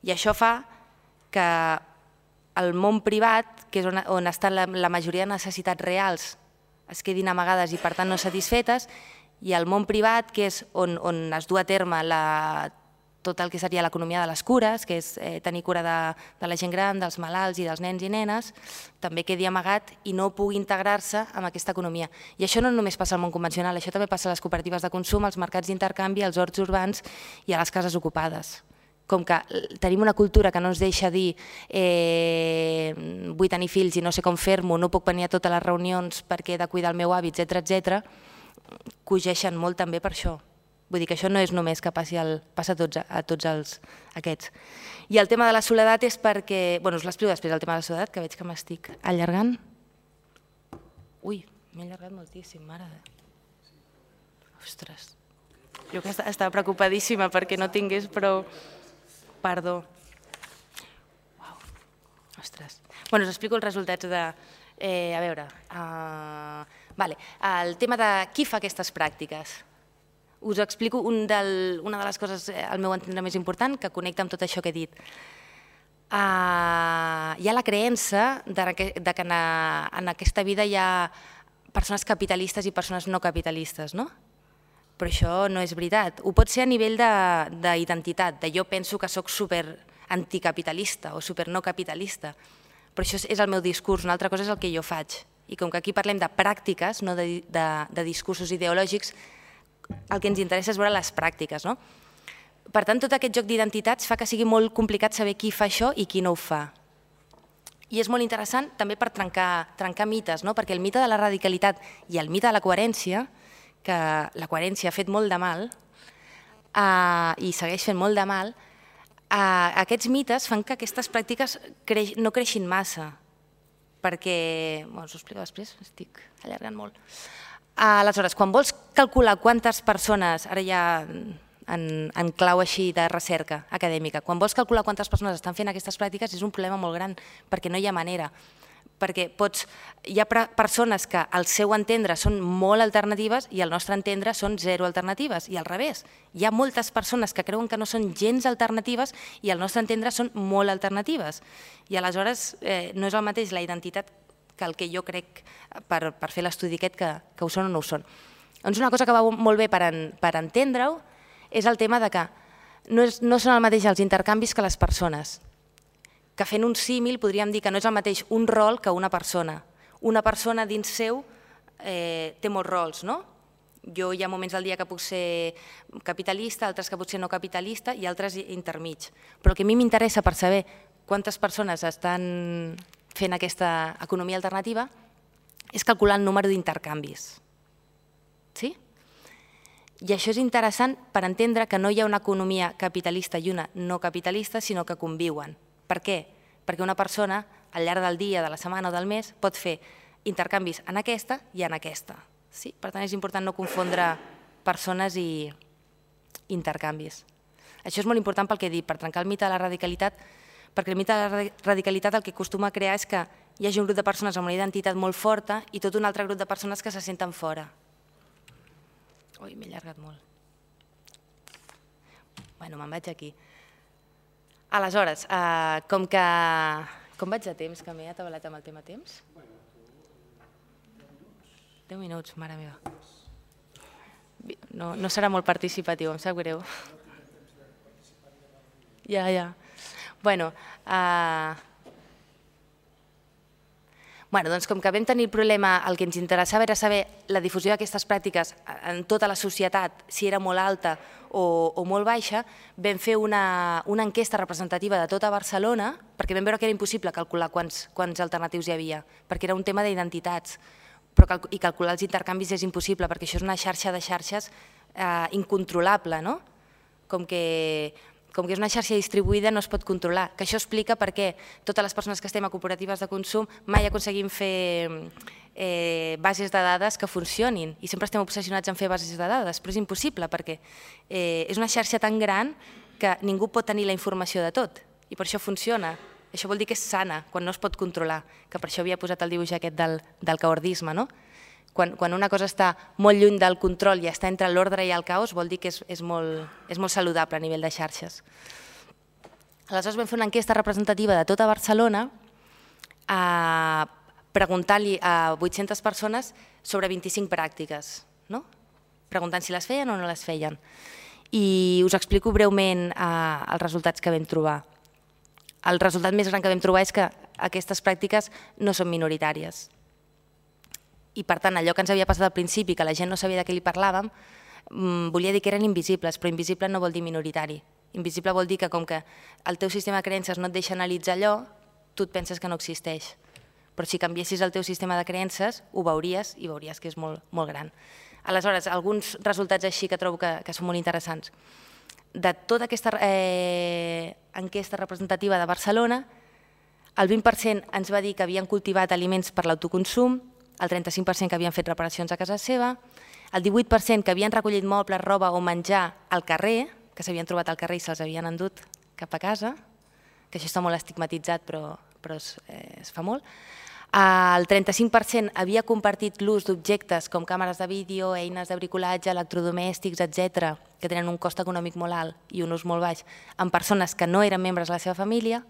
I això fa que el món privat, que és on estan la majoria de necessitats reals, es quedin amagades i per tant no satisfetes, i el món privat, que és on es du a terme tot el que seria l'economia de les cures, que és tenir cura de la gent gran, dels malalts i dels nens i nenes, també quedi amagat i no pugui integrar-se en aquesta economia. I això no només passa al món convencional, això també passa a les cooperatives de consum, als mercats d'intercanvi, als horts urbans i a les cases ocupades. Com que tenim una cultura que no ens deixa dir vull tenir fills i no sé com fer-m'ho, no puc venir a totes les reunions perquè he de cuidar el meu avi, etc., cogeixen molt també per això. Vull dir que això no és només que passa a tots aquests. I el tema de la soledat és perquè... Bé, us l'explico després, el tema de la soledat, que veig que m'estic allargant. Ui, m'he allargat moltíssim, mare de... Ostres, jo que estava preocupadíssima perquè no tingués prou... Perdó. Ostres. Bé, us explico els resultats de... A veure... El tema de qui fa aquestes pràctiques. Us explico una de les coses, al meu entendre, més important, que connecta amb tot això que he dit. Hi ha la creença que en aquesta vida hi ha persones capitalistes i persones no capitalistes, no? Però això no és veritat. Ho pot ser a nivell d'identitat, de jo penso que sóc super anticapitalista o super no capitalista, però això és el meu discurs, una altra cosa és el que jo faig. I com que aquí parlem de pràctiques, no de discursos ideològics, el que ens interessa és veure les pràctiques. Per tant, tot aquest joc d'identitats fa que sigui molt complicat saber qui fa això i qui no ho fa. I és molt interessant també per trencar mites, perquè el mite de la radicalitat i el mite de la coherència, que la coherència ha fet molt de mal i segueix fent molt de mal, aquests mites fan que aquestes pràctiques no creixin massa, perquè... Us ho explico després, estic allargant molt. Aleshores, quan vols calcular quantes persones, ara ja en clau així de recerca acadèmica, quan vols calcular quantes persones estan fent aquestes pràctiques és un problema molt gran, perquè no hi ha manera. Perquè hi ha persones que al seu entendre són molt alternatives i al nostre entendre són zero alternatives, i al revés. Hi ha moltes persones que creuen que no són gens alternatives i al nostre entendre són molt alternatives. I aleshores no és el mateix la identitat que el que jo crec per fer l'estudi aquest que ho són o no ho són. Doncs una cosa que va molt bé per entendre-ho és el tema de que no són el mateix els intercanvis que les persones. Que fent un símil podríem dir que no és el mateix un rol que una persona. Una persona dins seu té molts rols, no? Jo hi ha moments del dia que puc ser capitalista, altres que potser no capitalista i altres intermig. Però el que a mi m'interessa per saber quantes persones estan fent aquesta economia alternativa és calcular el número d'intercanvis. Sí? I això és interessant per entendre que no hi ha una economia capitalista i una no capitalista, sinó que conviuen. Per què? Perquè una persona, al llarg del dia, de la setmana o del mes, pot fer intercanvis en aquesta i en aquesta. Per tant, és important no confondre persones i intercanvis. Això és molt important pel que he dit, per trencar el mite de la radicalitat, perquè el mite de la radicalitat el que acostuma a crear és que hi hagi un grup de persones amb una identitat molt forta i tot un altre grup de persones que se senten fora. Ui, m'he allargat molt. Bueno, me'n vaig aquí. Aleshores, com vaig de temps, que m'he atabalat amb el tema temps? 10 minuts, mare meva. No serà molt participatiu, em sap greu. Ja. Bueno, doncs com que vam tenir el problema, el que ens interessava era saber la difusió d'aquestes pràctiques en tota la societat, si era molt alta o molt baixa, vam fer una enquesta representativa de tota Barcelona, perquè vam veure que era impossible calcular quants alternatius hi havia, perquè era un tema d'identitats, i calcular els intercanvis és impossible, perquè això és una xarxa de xarxes incontrolable, no? Com que és una xarxa distribuïda no es pot controlar, que això explica per què totes les persones que estem a cooperatives de consum mai aconseguim fer bases de dades que funcionin i sempre estem obsessionats en fer bases de dades, però és impossible perquè és una xarxa tan gran que ningú pot tenir la informació de tot i per això funciona. Això vol dir que és sana quan no es pot controlar, que per això havia posat el dibuix aquest del caordisme, no? Quan una cosa està molt lluny del control i està entre l'ordre i el caos, vol dir que és molt saludable a nivell de xarxes. Aleshores vam fer una enquesta representativa de tota Barcelona preguntant-li a 800 persones sobre 25 pràctiques, preguntant si les feien o no les feien. I us explico breument els resultats que vam trobar. El resultat més gran que vam trobar és que aquestes pràctiques no són minoritàries. I per tant, allò que ens havia passat al principi, que la gent no sabia de què li parlàvem, volia dir que eren invisibles, però invisible no vol dir minoritari. Invisible vol dir que com que el teu sistema de creences no et deixa analitzar allò, tu et penses que no existeix. Però si canviessis el teu sistema de creences, ho veuries i veuries que és molt gran. Aleshores, alguns resultats així que trobo que són molt interessants. De tota aquesta enquesta representativa de Barcelona, el 20% ens va dir que havien cultivat aliments per l'autoconsum, el 35% que havien fet reparacions a casa seva, el 18% que havien recollit mobles, roba o menjar al carrer, que s'havien trobat al carrer i se'ls havien endut cap a casa, que això està molt estigmatitzat però es fa molt. El 35% havia compartit l'ús d'objectes com càmeres de vídeo, eines de bricolatge, electrodomèstics, etc., que tenen un cost econòmic molt alt i un ús molt baix, amb persones que no eren membres de la seva família.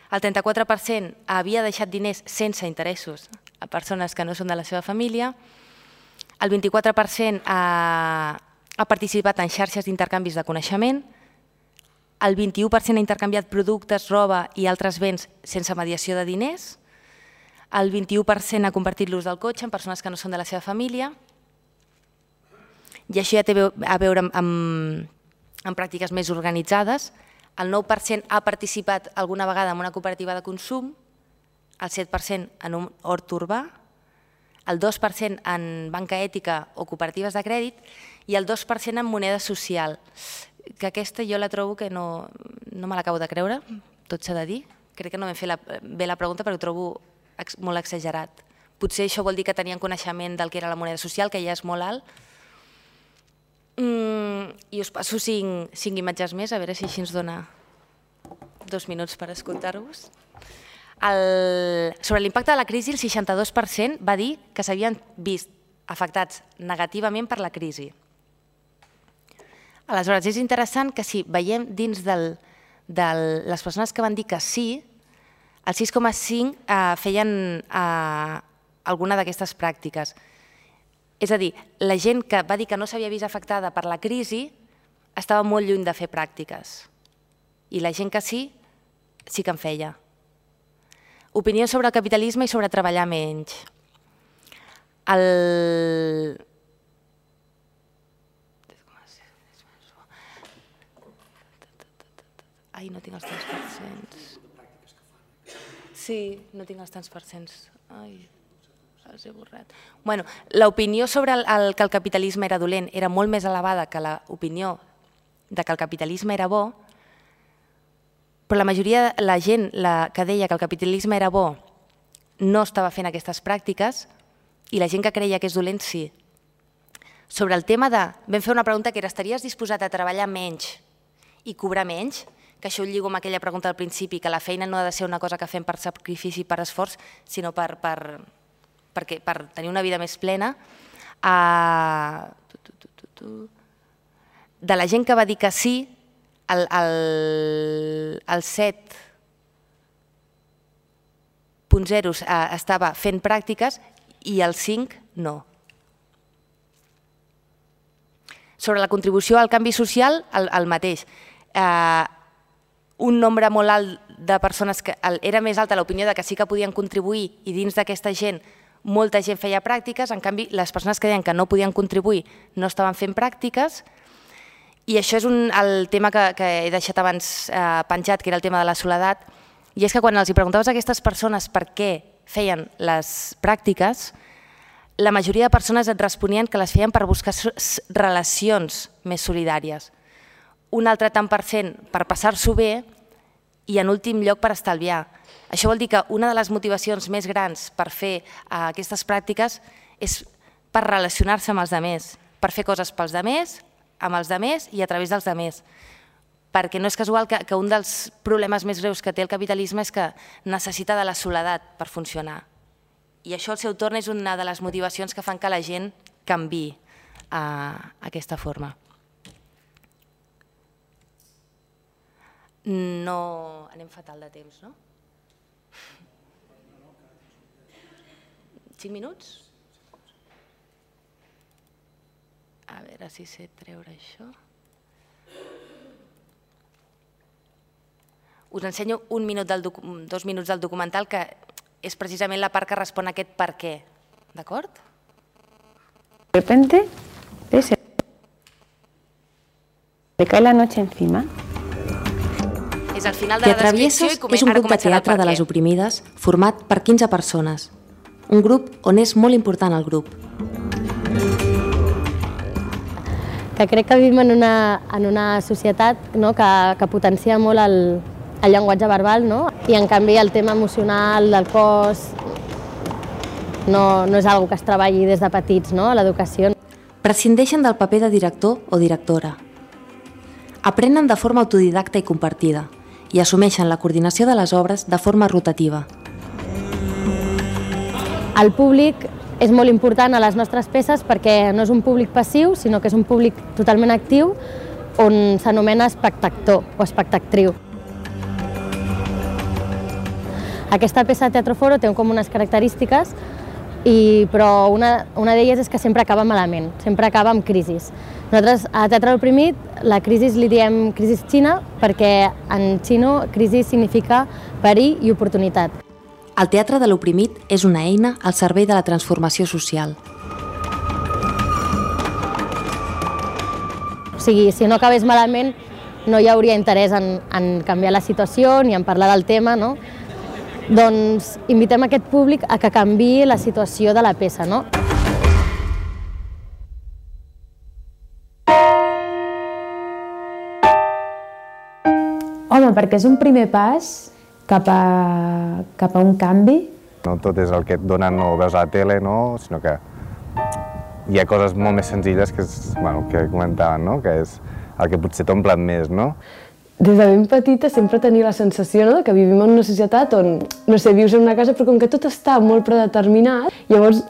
El 34% havia deixat diners sense interessos a persones que no són de la seva família. El 24% ha participat en xarxes d'intercanvis de coneixement. El 21% ha intercanviat productes, roba i altres béns sense mediació de diners. El 21% ha compartit l'ús del cotxe amb persones que no són de la seva família. I això ja té a veure amb pràctiques més organitzades. El 9% ha participat alguna vegada en una cooperativa de consum, el 7% en un hort urbà, el 2% en banca ètica o cooperatives de crèdit i el 2% en moneda social, que aquesta jo la trobo que no me l'acabo de creure, tot s'ha de dir. Crec que no vam fer bé la pregunta perquè ho trobo molt exagerat. Potser això vol dir que tenien coneixement del que era la moneda social, que ja és molt alt. I us passo 5 imatges més, a veure si així ens dona 2 minuts per escoltar-vos. Sobre l'impacte de la crisi, el 62% va dir que s'havien vist afectats negativament per la crisi. Aleshores, és interessant que si veiem dins de les persones que van dir que sí, el 6,5% feien alguna d'aquestes pràctiques. És a dir, la gent que va dir que no s'havia vist afectada per la crisi estava molt lluny de fer pràctiques. I la gent que sí que en feia. Opinió sobre el capitalisme i sobre treballar menys. Ai, no tinc els tants percents. Sí, no tinc els tants percents. Ai, els he borrat. Bueno, l'opinió sobre que el capitalisme era dolent era molt més elevada que l'opinió de que el capitalisme era bo, però la majoria de la gent que deia que el capitalisme era bo no estava fent aquestes pràctiques i la gent que creia que és dolent sí. Sobre el tema de... Vam fer una pregunta que era: estaries disposat a treballar menys i cobrar menys? Que això ho lligo amb aquella pregunta al principi, que la feina no ha de ser una cosa que fem per sacrifici i per esforç, sinó per tenir una vida més plena. De la gent que va dir que sí, el 7.0 estava fent pràctiques i el 5 no. Sobre la contribució al canvi social, el mateix. Un nombre molt alt de persones que era més alta l'opinió de que sí que podien contribuir i dins d'aquesta gent molta gent feia pràctiques, en canvi les persones que deien que no podien contribuir no estaven fent pràctiques. I això és el tema que he deixat abans penjat, que era el tema de la soledat, i és que quan els preguntaves a aquestes persones per què feien les pràctiques, la majoria de persones et responien que les feien per buscar relacions més solidàries. Un altre tant per cent per passar-s'ho bé i en últim lloc per estalviar. Això vol dir que una de les motivacions més grans per fer aquestes pràctiques és per relacionar-se amb els altres, per fer coses pels altres, amb els altres i a través dels altres. Perquè no és casual que un dels problemes més greus que té el capitalisme és que necessita de la soledat per funcionar. I això al seu torn és una de les motivacions que fan que la gent canviï aquesta forma. No... Anem fatal de temps, no? 5 minuts? A veure si sé treure això. Us ensenyo 2 minuts del documental, que és precisament la part que respon a aquest per què. D'acord? De repente, le cae la noche encima. És al final de la descripció i és un grup de teatre de les oprimides format per 15 persones. Un grup on és molt important el grup. Que crec que vivim en una societat que potencia molt el llenguatge verbal, i en canvi el tema emocional del cos no és una cosa que es treballi des de petits, a l'educació. Prescindeixen del paper de director o directora. Aprenen de forma autodidacta i compartida i assumeixen la coordinació de les obres de forma rotativa. El públic és molt important a les nostres peces perquè no és un públic passiu, sinó que és un públic totalment actiu on s'anomena espectactor o espectactriu. Aquesta peça de Teatro Foro té com unes característiques, però una d'elles és que sempre acaba malament, sempre acaba amb crisis. Nosaltres a Teatre Oprimit la crisi li diem crisi xina perquè en xino crisi significa perill i oportunitat. El Teatre de l'Oprimit és una eina al servei de la transformació social. O sigui, si no acabés malament, no hi hauria interès en canviar la situació ni en parlar del tema, no? Doncs invitem aquest públic a que canviï la situació de la peça, no? Home, perquè és un primer pas cap a un canvi. No tot és el que et donen o veus a la tele, sinó que hi ha coses molt més senzilles que comentaven, que és el que potser t'omplen més. Des de ben petita sempre tenia la sensació que vivim en una societat on, vius en una casa però com que tot està molt predeterminat, llavors,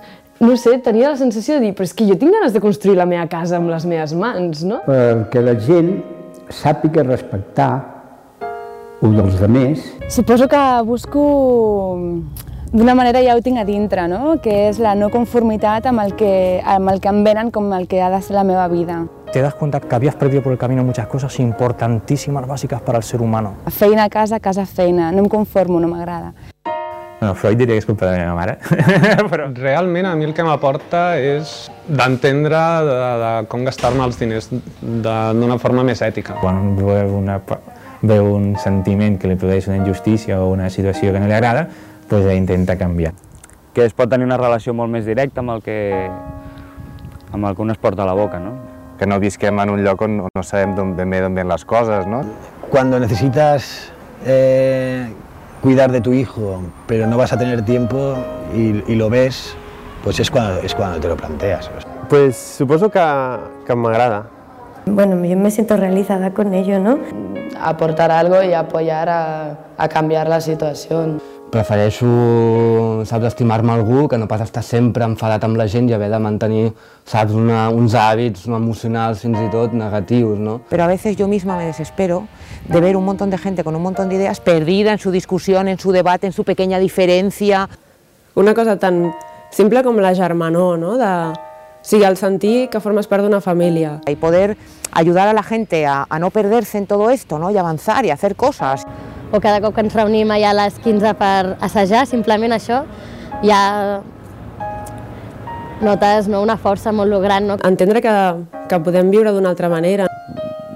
tenia la sensació de dir però és que jo tinc ganes de construir la meva casa amb les meves mans, no? Perquè la gent sàpiga respectar un dels altres. Suposo que busco, d'una manera ja ho tinc a dintre, que és la no conformitat amb el que em venen com el que ha de ser la meva vida. Te das cuenta que habías perdido por el camino muchas cosas importantísimas, básicas para el ser humano. Feina a casa, casa a feina. No em conformo, no m'agrada. Bueno, Freud diria que és culpa de la meva mare. Però realment a mi el que m'aporta és d'entendre de com gastar-me els diners d'una forma més ètica. Quan veu un sentiment que li produeix una injustícia o una situació que no li agrada, doncs intenta canviar. Que es pot tenir una relació molt més directa amb el que un es porta a la boca, no? Que no visquem en un lloc on no sabem d'on ven les coses, ¿no? Cuando necesitas cuidar de tu hijo, pero no vas a tener tiempo y lo ves, pues es cuando te lo planteas. Pues suposo que m'agrada. Bueno, yo me siento realizada con ello, ¿no? Aportar algo y apoyar a cambiar la situació. Prefereixo, estimar-me algú que no pas estar sempre enfadat amb la gent i haver de mantenir, uns hàbits emocionals fins i tot negatius, ¿no? Pero a veces yo misma me desespero de ver un montón de gente con un montón de ideas perdida en su discusión, en su debate, en su pequeña diferencia. Una cosa tan simple com la germanor, no? sigui, el sentir que formes part d'una família. Y poder ayudar a la gente a no perderse en todo esto, ¿no? Y avanzar y hacer cosas. O cada cop que ens reunim allà a les 15 per assajar, simplement això, ja notes una força molt gran. Entendre que podem viure d'una altra manera.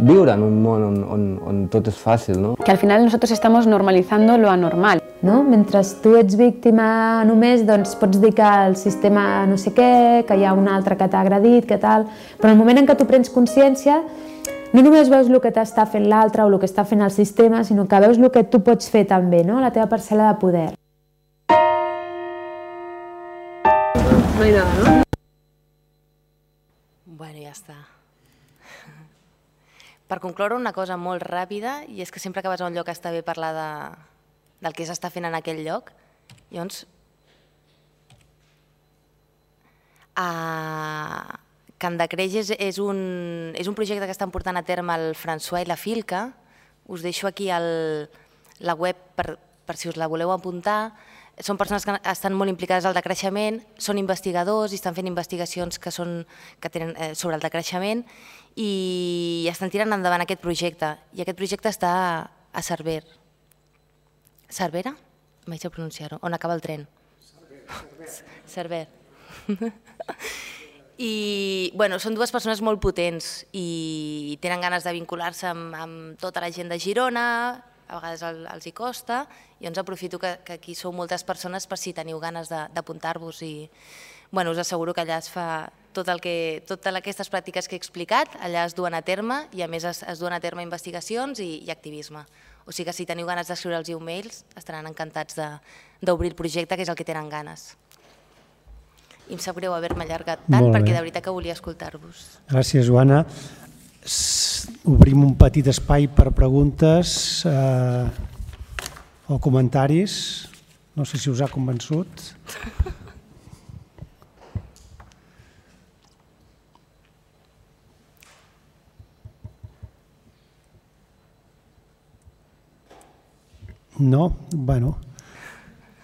Viure en un món on tot és fàcil, no? Que al final nosotros estamos normalizando lo anormal. No? Mentre tu ets víctima només, doncs pots dir que el sistema no sé què, que hi ha un altre que t'ha agredit, que tal... Però en el moment en què tu prens consciència, no només veus el que t'està fent l'altre o el que està fent el sistema, sinó que veus el que tu pots fer també, no? La teva parcel·la de poder. No hi ha nada, no? Bueno, ja està. Per concloure, una cosa molt ràpida, i és que sempre que vas a un lloc està bé parlar del que s'està fent en aquell lloc. Llavors, Camp de Creix és un projecte que estan portant a terme el François i la Filca. Us deixo aquí la web per si us la voleu apuntar. Són persones que estan molt implicades al decreixement, són investigadors i estan fent investigacions que tenen sobre el decreixement i estan tirant endavant aquest projecte. I aquest projecte està a Cervera. Cervera? Vaig a pronunciar-ho. On acaba el tren? Cervera. I són dues persones molt potents i tenen ganes de vincular-se amb tota la gent de Girona, a vegades els hi costa, i llavors aprofito que aquí sou moltes persones per si teniu ganes d'apuntar-vos i us asseguro que allà es fa totes aquestes pràctiques que he explicat, allà es duen a terme i a més es duen a terme investigacions i activisme. O sigui que si teniu ganes d'escriure'ls e-mails estaran encantats d'obrir el projecte, que és el que tenen ganes. I em sap greu haver-me allargat tant perquè de veritat que volia escoltar-vos. Gràcies, Joana. Obrim un petit espai per preguntes o comentaris. No sé si us ha convençut. No? Bueno,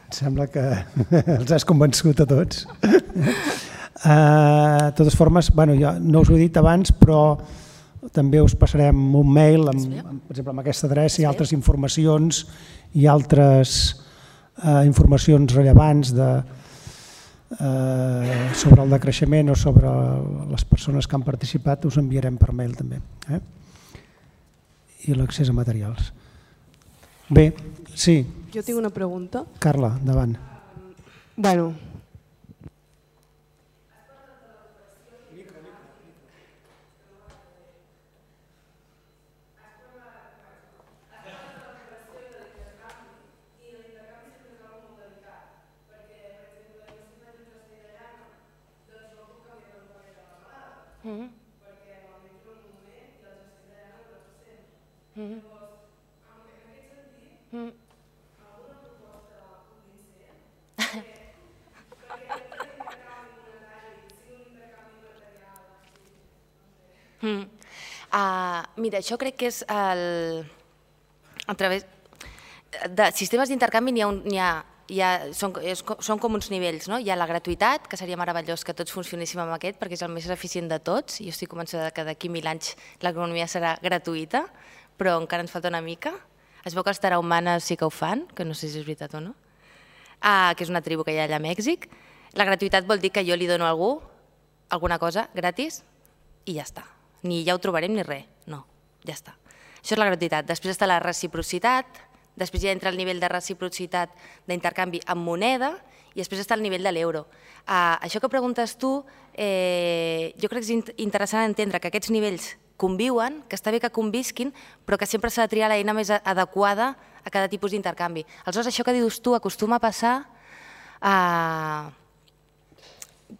em sembla que els has convençut a tots. De totes formes, jo no us ho he dit abans, però també us passarem un mail, per exemple, amb aquesta adreça i altres informacions i altres informacions rellevants sobre el decreixement o sobre les persones que han participat, us enviarem per mail també. I l'accés a materials. Bé, sí. Jo tinc una pregunta. Carla, endavant. Bueno. Mira, això crec que és a través de sistemes d'intercanvi són com uns nivells. Hi ha la gratuïtat, que seria meravellós que tots funcionéssim amb aquest perquè és el més eficient de tots. Jo estic convençuda que d'aquí 1000 anys l'economia serà gratuïta, però encara ens falta una mica. Es veu que els tarahumanes sí que ho fan, que no sé si és veritat o no, que és una tribu que hi ha allà a Mèxic. La gratuïtat vol dir que jo li dono a algú alguna cosa gratis i ja està. Ni ja ho trobarem ni res, no, ja està. Això és la gratuïtat. Després està la reciprocitat, després ja entra el nivell de reciprocitat d'intercanvi amb moneda i després està el nivell de l'euro. Això que preguntes tu, jo crec que és interessant entendre que aquests nivells conviuen, que està bé que convisquin, però que sempre s'ha de triar l'eina més adequada a cada tipus d'intercanvi. Aleshores, això que dius tu acostuma a passar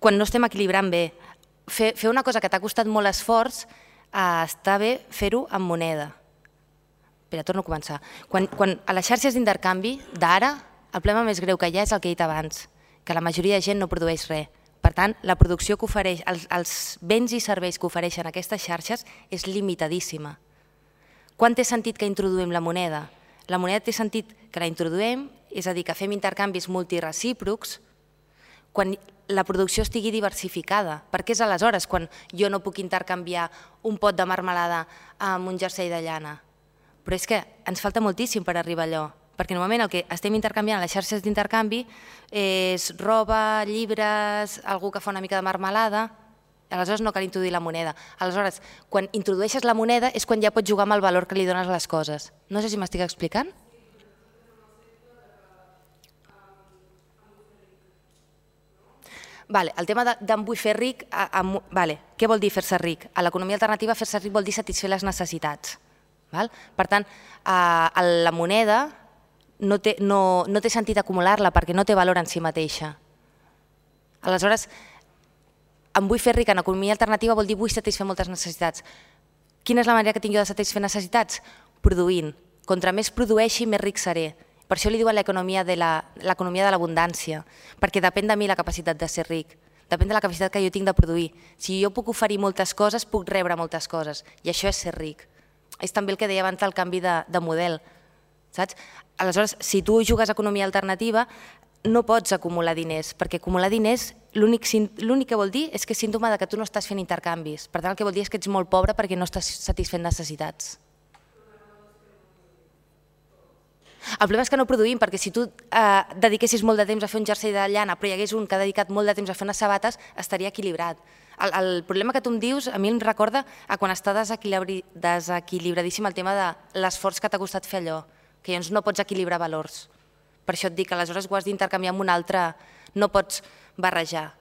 quan no estem equilibrant bé. Fer una cosa que t'ha costat molt esforç, està bé fer-ho amb moneda. Espera, torno a començar. Quan a les xarxes d'intercanvi d'ara, el problema més greu que hi ha és el que he dit abans, que la majoria de gent no produeix res. Per tant, la producció que ofereix, els béns i serveis que ofereixen aquestes xarxes és limitadíssima. Quan té sentit que introduïm la moneda? La moneda té sentit que la introduïm, és a dir, que fem intercanvis multirecíprocs, quan la producció estigui diversificada. Perquè és aleshores quan jo no puc intercanviar un pot de marmelada amb un jersei de llana. Però és que ens falta moltíssim per arribar a allò, perquè normalment el que estem intercanviant a les xarxes d'intercanvi és roba, llibres, algú que fa una mica de marmelada, aleshores no cal introduir la moneda. Aleshores, quan introdueixes la moneda és quan ja pots jugar amb el valor que li dones a les coses. No sé si m'estic explicant. El tema d'en vull fer ric, què vol dir fer-se ric? A l'economia alternativa fer-se ric vol dir satisfer les necessitats. Per tant, la moneda no té sentit acumular-la perquè no té valor en si mateixa. Aleshores, em vull fer ric en economia alternativa vol dir vull satisfer moltes necessitats. Quina és la manera que tinc jo de satisfer necessitats? Produint. Contra més produeixi, més ric seré. Per això li diuen l'economia de l'abundància, perquè depèn de mi la capacitat de ser ric, depèn de la capacitat que jo tinc de produir. Si jo puc oferir moltes coses, puc rebre moltes coses, i això és ser ric. És també el que deia abans del canvi de model. Aleshores, si tu jugues a economia alternativa, no pots acumular diners, perquè acumular diners l'únic que vol dir és que és símptoma que tu no estàs fent intercanvis. Per tant, el que vol dir és que ets molt pobre perquè no estàs satisfent necessitats. El problema és que no produïm, perquè si tu dediquessis molt de temps a fer un jersei de llana, però hi hagués un que ha dedicat molt de temps a fer unes sabates, estaria equilibrat. El problema que tu em dius a mi em recorda a quan està desequilibradíssim el tema de l'esforç que t'ha costat fer allò, que llavors no pots equilibrar valors. Per això et dic que aleshores ho has d'intercanviar amb un altre, no pots barrejar,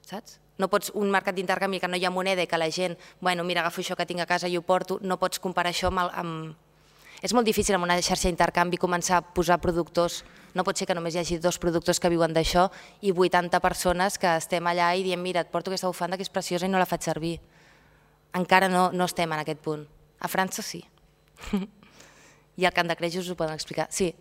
saps? No pots un mercat d'intercanvi que no hi ha moneda i que la gent, bueno, mira, agafo això que tinc a casa i ho porto, no pots comparar això amb... És molt difícil amb una xarxa d'intercanvi començar a posar productors, no pot ser que només hi hagi 2 productors que viuen d'això i 80 persones que estem allà i diem, mira, et porto aquesta bufanda que és preciosa i no la faig servir. Encara no estem en aquest punt. A França sí. I al Camp de Crèjols us ho poden explicar. Sí.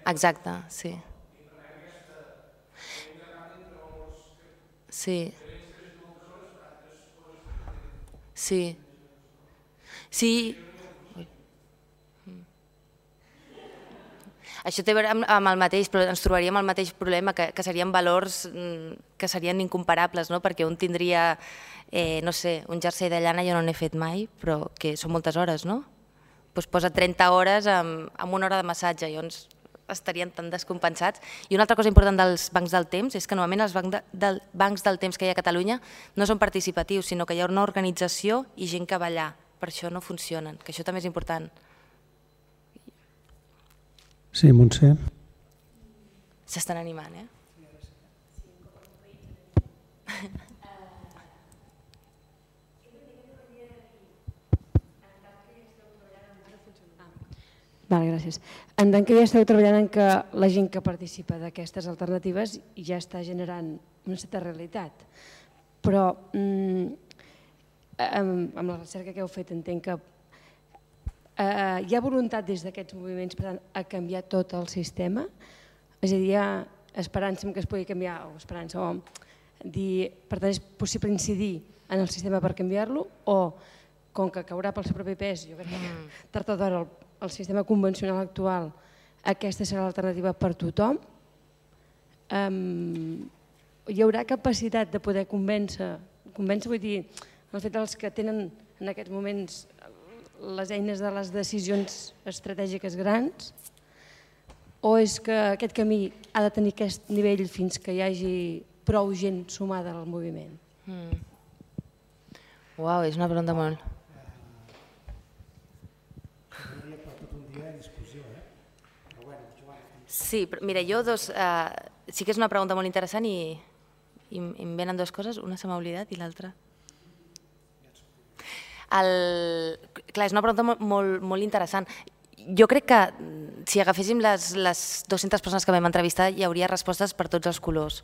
Exacte, sí. Sí. Sí. Sí. Això té a veure amb el mateix, però ens trobaríem el mateix problema, que serien valors que serien incomparables, perquè un tindria, no sé, un jersei de llana jo no n'he fet mai, però que són moltes hores, no? Doncs posa 30 hores amb una hora de massatge, llavors estarien tan descompensats. I una altra cosa important dels bancs del temps és que normalment els bancs del temps que hi ha a Catalunya no són participatius, sinó que hi ha una organització i gent que va allà. Per això no funcionen, que això també és important. Sí, Montse. S'estan animant, eh? Vale, gràcies. En tant que ja esteu treballant en que la gent que participa d'aquestes alternatives ja està generant una certa realitat, però amb la recerca que heu fet entenc que hi ha voluntat des d'aquests moviments per tant, a canviar tot el sistema? És a dir, hi ha esperança que es pugui canviar, o esperança, o dir, per tant, és possible incidir en el sistema per canviar-lo, o com que caurà pel seu propi pes, jo crec que tard o d'hora el sistema convencional actual, aquesta serà l'alternativa per tothom? Hi haurà capacitat de poder convèncer, vull dir, el fet dels que tenen en aquests moments les eines de les decisions estratègiques grans, o és que aquest camí ha de tenir aquest nivell fins que hi hagi prou gent sumada al moviment? Uau, és una pregunta molt... Sí, mira, jo sí que és una pregunta molt interessant i em venen dues coses, una se m'ha oblidat i l'altra... Clar, és una pregunta molt interessant. Jo crec que si agaféssim les 200 persones que vam entrevistar hi hauria respostes per tots els colors.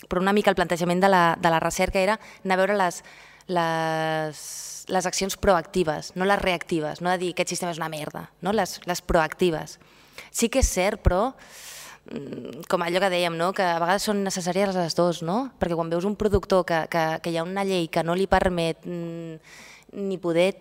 Però una mica el plantejament de la recerca era anar a veure les accions proactives, no les reactives, no de dir aquest sistema és una merda, no? Les proactives. Sí que és cert, però, com allò que dèiem, no? Que a vegades són necessàries les dues, no? Perquè quan veus un productor que hi ha una llei que no li permet ni poder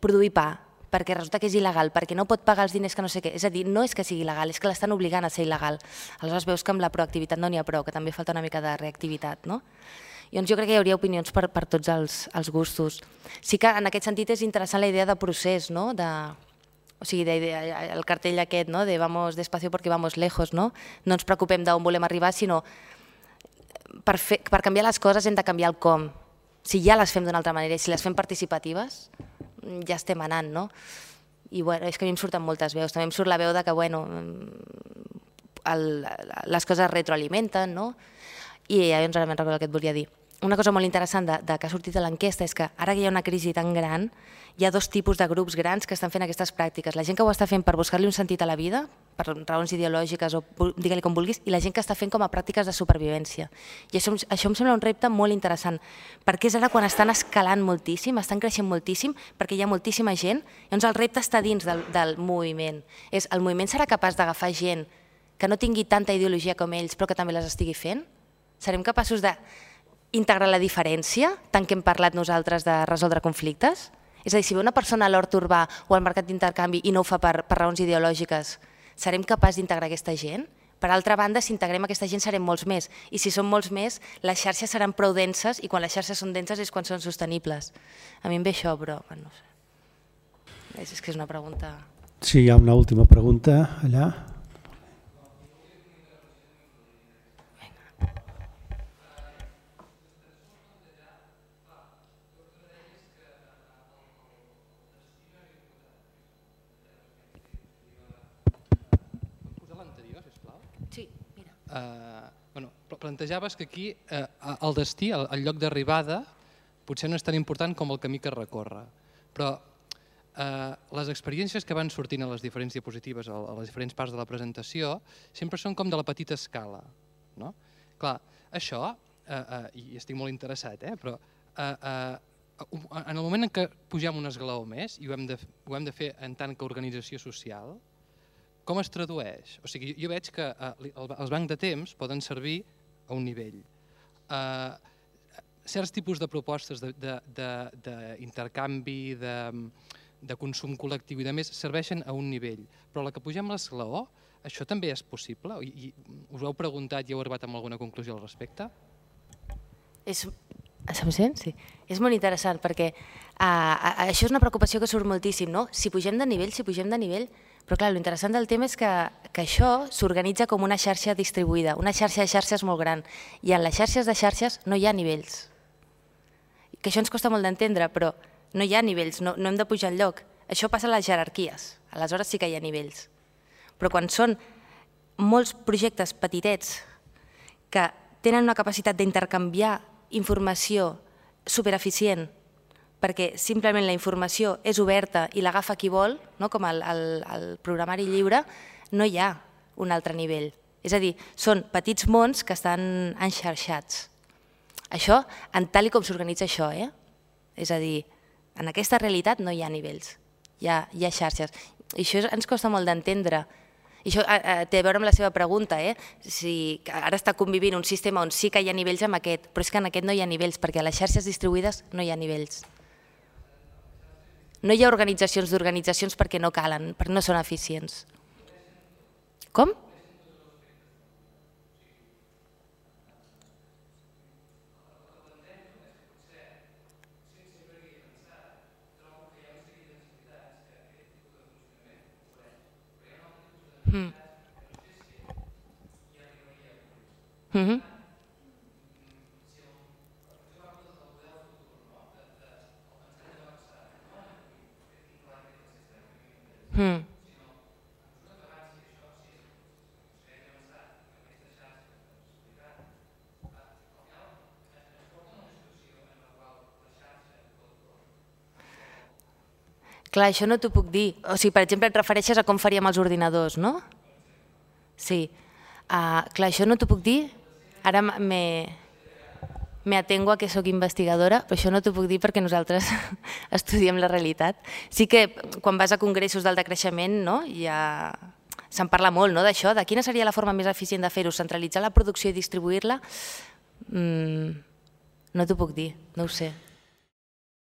produir pa, perquè resulta que és il·legal, perquè no pot pagar els diners que no sé què. És a dir, no és que sigui il·legal, és que l'estan obligant a ser il·legal. Aleshores veus que amb la proactivitat no n'hi ha prou, que també falta una mica de reactivitat, no? Llavors jo crec que hi hauria opinions per tots els gustos. Sí que en aquest sentit és interessant la idea de procés, no? O sigui, el cartell aquest, no? De vamos despacio porque vamos lejos, no? No ens preocupem d'on volem arribar, sinó per canviar les coses hem de canviar el com. Si ja les fem d'una altra manera i si les fem participatives, ja estem anant, no? I és que a mi em surten moltes veus. També em surt la veu de que, bueno, les coses retroalimenten, no? I llavors ara me'n recordo el que et volia dir. Una cosa molt interessant que ha sortit de l'enquesta és que ara que hi ha una crisi tan gran, hi ha dos tipus de grups grans que estan fent aquestes pràctiques. La gent que ho està fent per buscar-li un sentit a la vida, per raons ideològiques o digue-li com vulguis, i la gent que està fent com a pràctiques de supervivència. I això em sembla un repte molt interessant, perquè és ara quan estan escalant moltíssim, estan creixent moltíssim, perquè hi ha moltíssima gent, llavors el repte està dins del moviment. El moviment serà capaç d'agafar gent que no tingui tanta ideologia com ells, però que també les estigui fent? Serem capaços d'integrar la diferència, tant que hem parlat nosaltres de resoldre conflictes? És a dir, si ve una persona a l'hort urbà o al mercat d'intercanvi i no ho fa per raons ideològiques, serem capaços d'integrar aquesta gent? Per altra banda, si integrem aquesta gent serem molts més, i si són molts més, les xarxes seran prou denses, i quan les xarxes són denses és quan són sostenibles. A mi em ve això, però no sé. És que és una pregunta... Sí, hi ha una última pregunta allà. Plantejaves que aquí el destí, el lloc d'arribada, potser no és tan important com el camí que recorre, però les experiències que van sortint a les diferents diapositives, a les diferents parts de la presentació, sempre són com de la petita escala. Clar, això, i estic molt interessat, però en el moment en què pugem un esglaó més, i ho hem de fer en tant que organització social, com es tradueix? O sigui, jo veig que els bancs de temps poden servir a un nivell. Certs tipus de propostes d'intercanvi, de consum col·lectiu i de més serveixen a un nivell, però la que pugem l'esglaó, això també és possible? Us ho heu preguntat i heu arribat a alguna conclusió al respecte? Se'm sent? Sí. És molt interessant perquè això és una preocupació que surt moltíssim, no? Si pugem de nivell, però clar, l'interessant del tema és que això s'organitza com una xarxa distribuïda, una xarxa de xarxes molt gran, i en les xarxes de xarxes no hi ha nivells. Que això ens costa molt d'entendre, però no hi ha nivells, no hem de pujar enlloc. Això passa a les jerarquies, aleshores sí que hi ha nivells. Però quan són molts projectes petitets que tenen una capacitat d'intercanviar informació supereficient, perquè simplement la informació és oberta i l'agafa qui vol, com el programari lliure, no hi ha un altre nivell. És a dir, són petits mons que estan enxarxats. Això, en tal com s'organitza això, és a dir, en aquesta realitat no hi ha nivells, hi ha xarxes. I això ens costa molt d'entendre. I això té a veure amb la seva pregunta, si ara està convivint un sistema on sí que hi ha nivells amb aquest, però és que en aquest no hi ha nivells, perquè a les xarxes distribuïdes no hi ha nivells. No hi ha organitzacions d'organitzacions perquè no calen, perquè no són eficients. Com? Clar, això no t'ho puc dir. O sigui, per exemple, et refereixes a com faríem els ordinadors, no? Sí. Clar, això no t'ho puc dir. Ara m'he me atengo a que sóc investigadora, però això no t'ho puc dir perquè nosaltres estudiem la realitat. Sí que quan vas a congressos del decreixement ja se'n parla molt d'això, de quina seria la forma més eficient de fer-ho, centralitzar la producció i distribuir-la. No t'ho puc dir, no ho sé.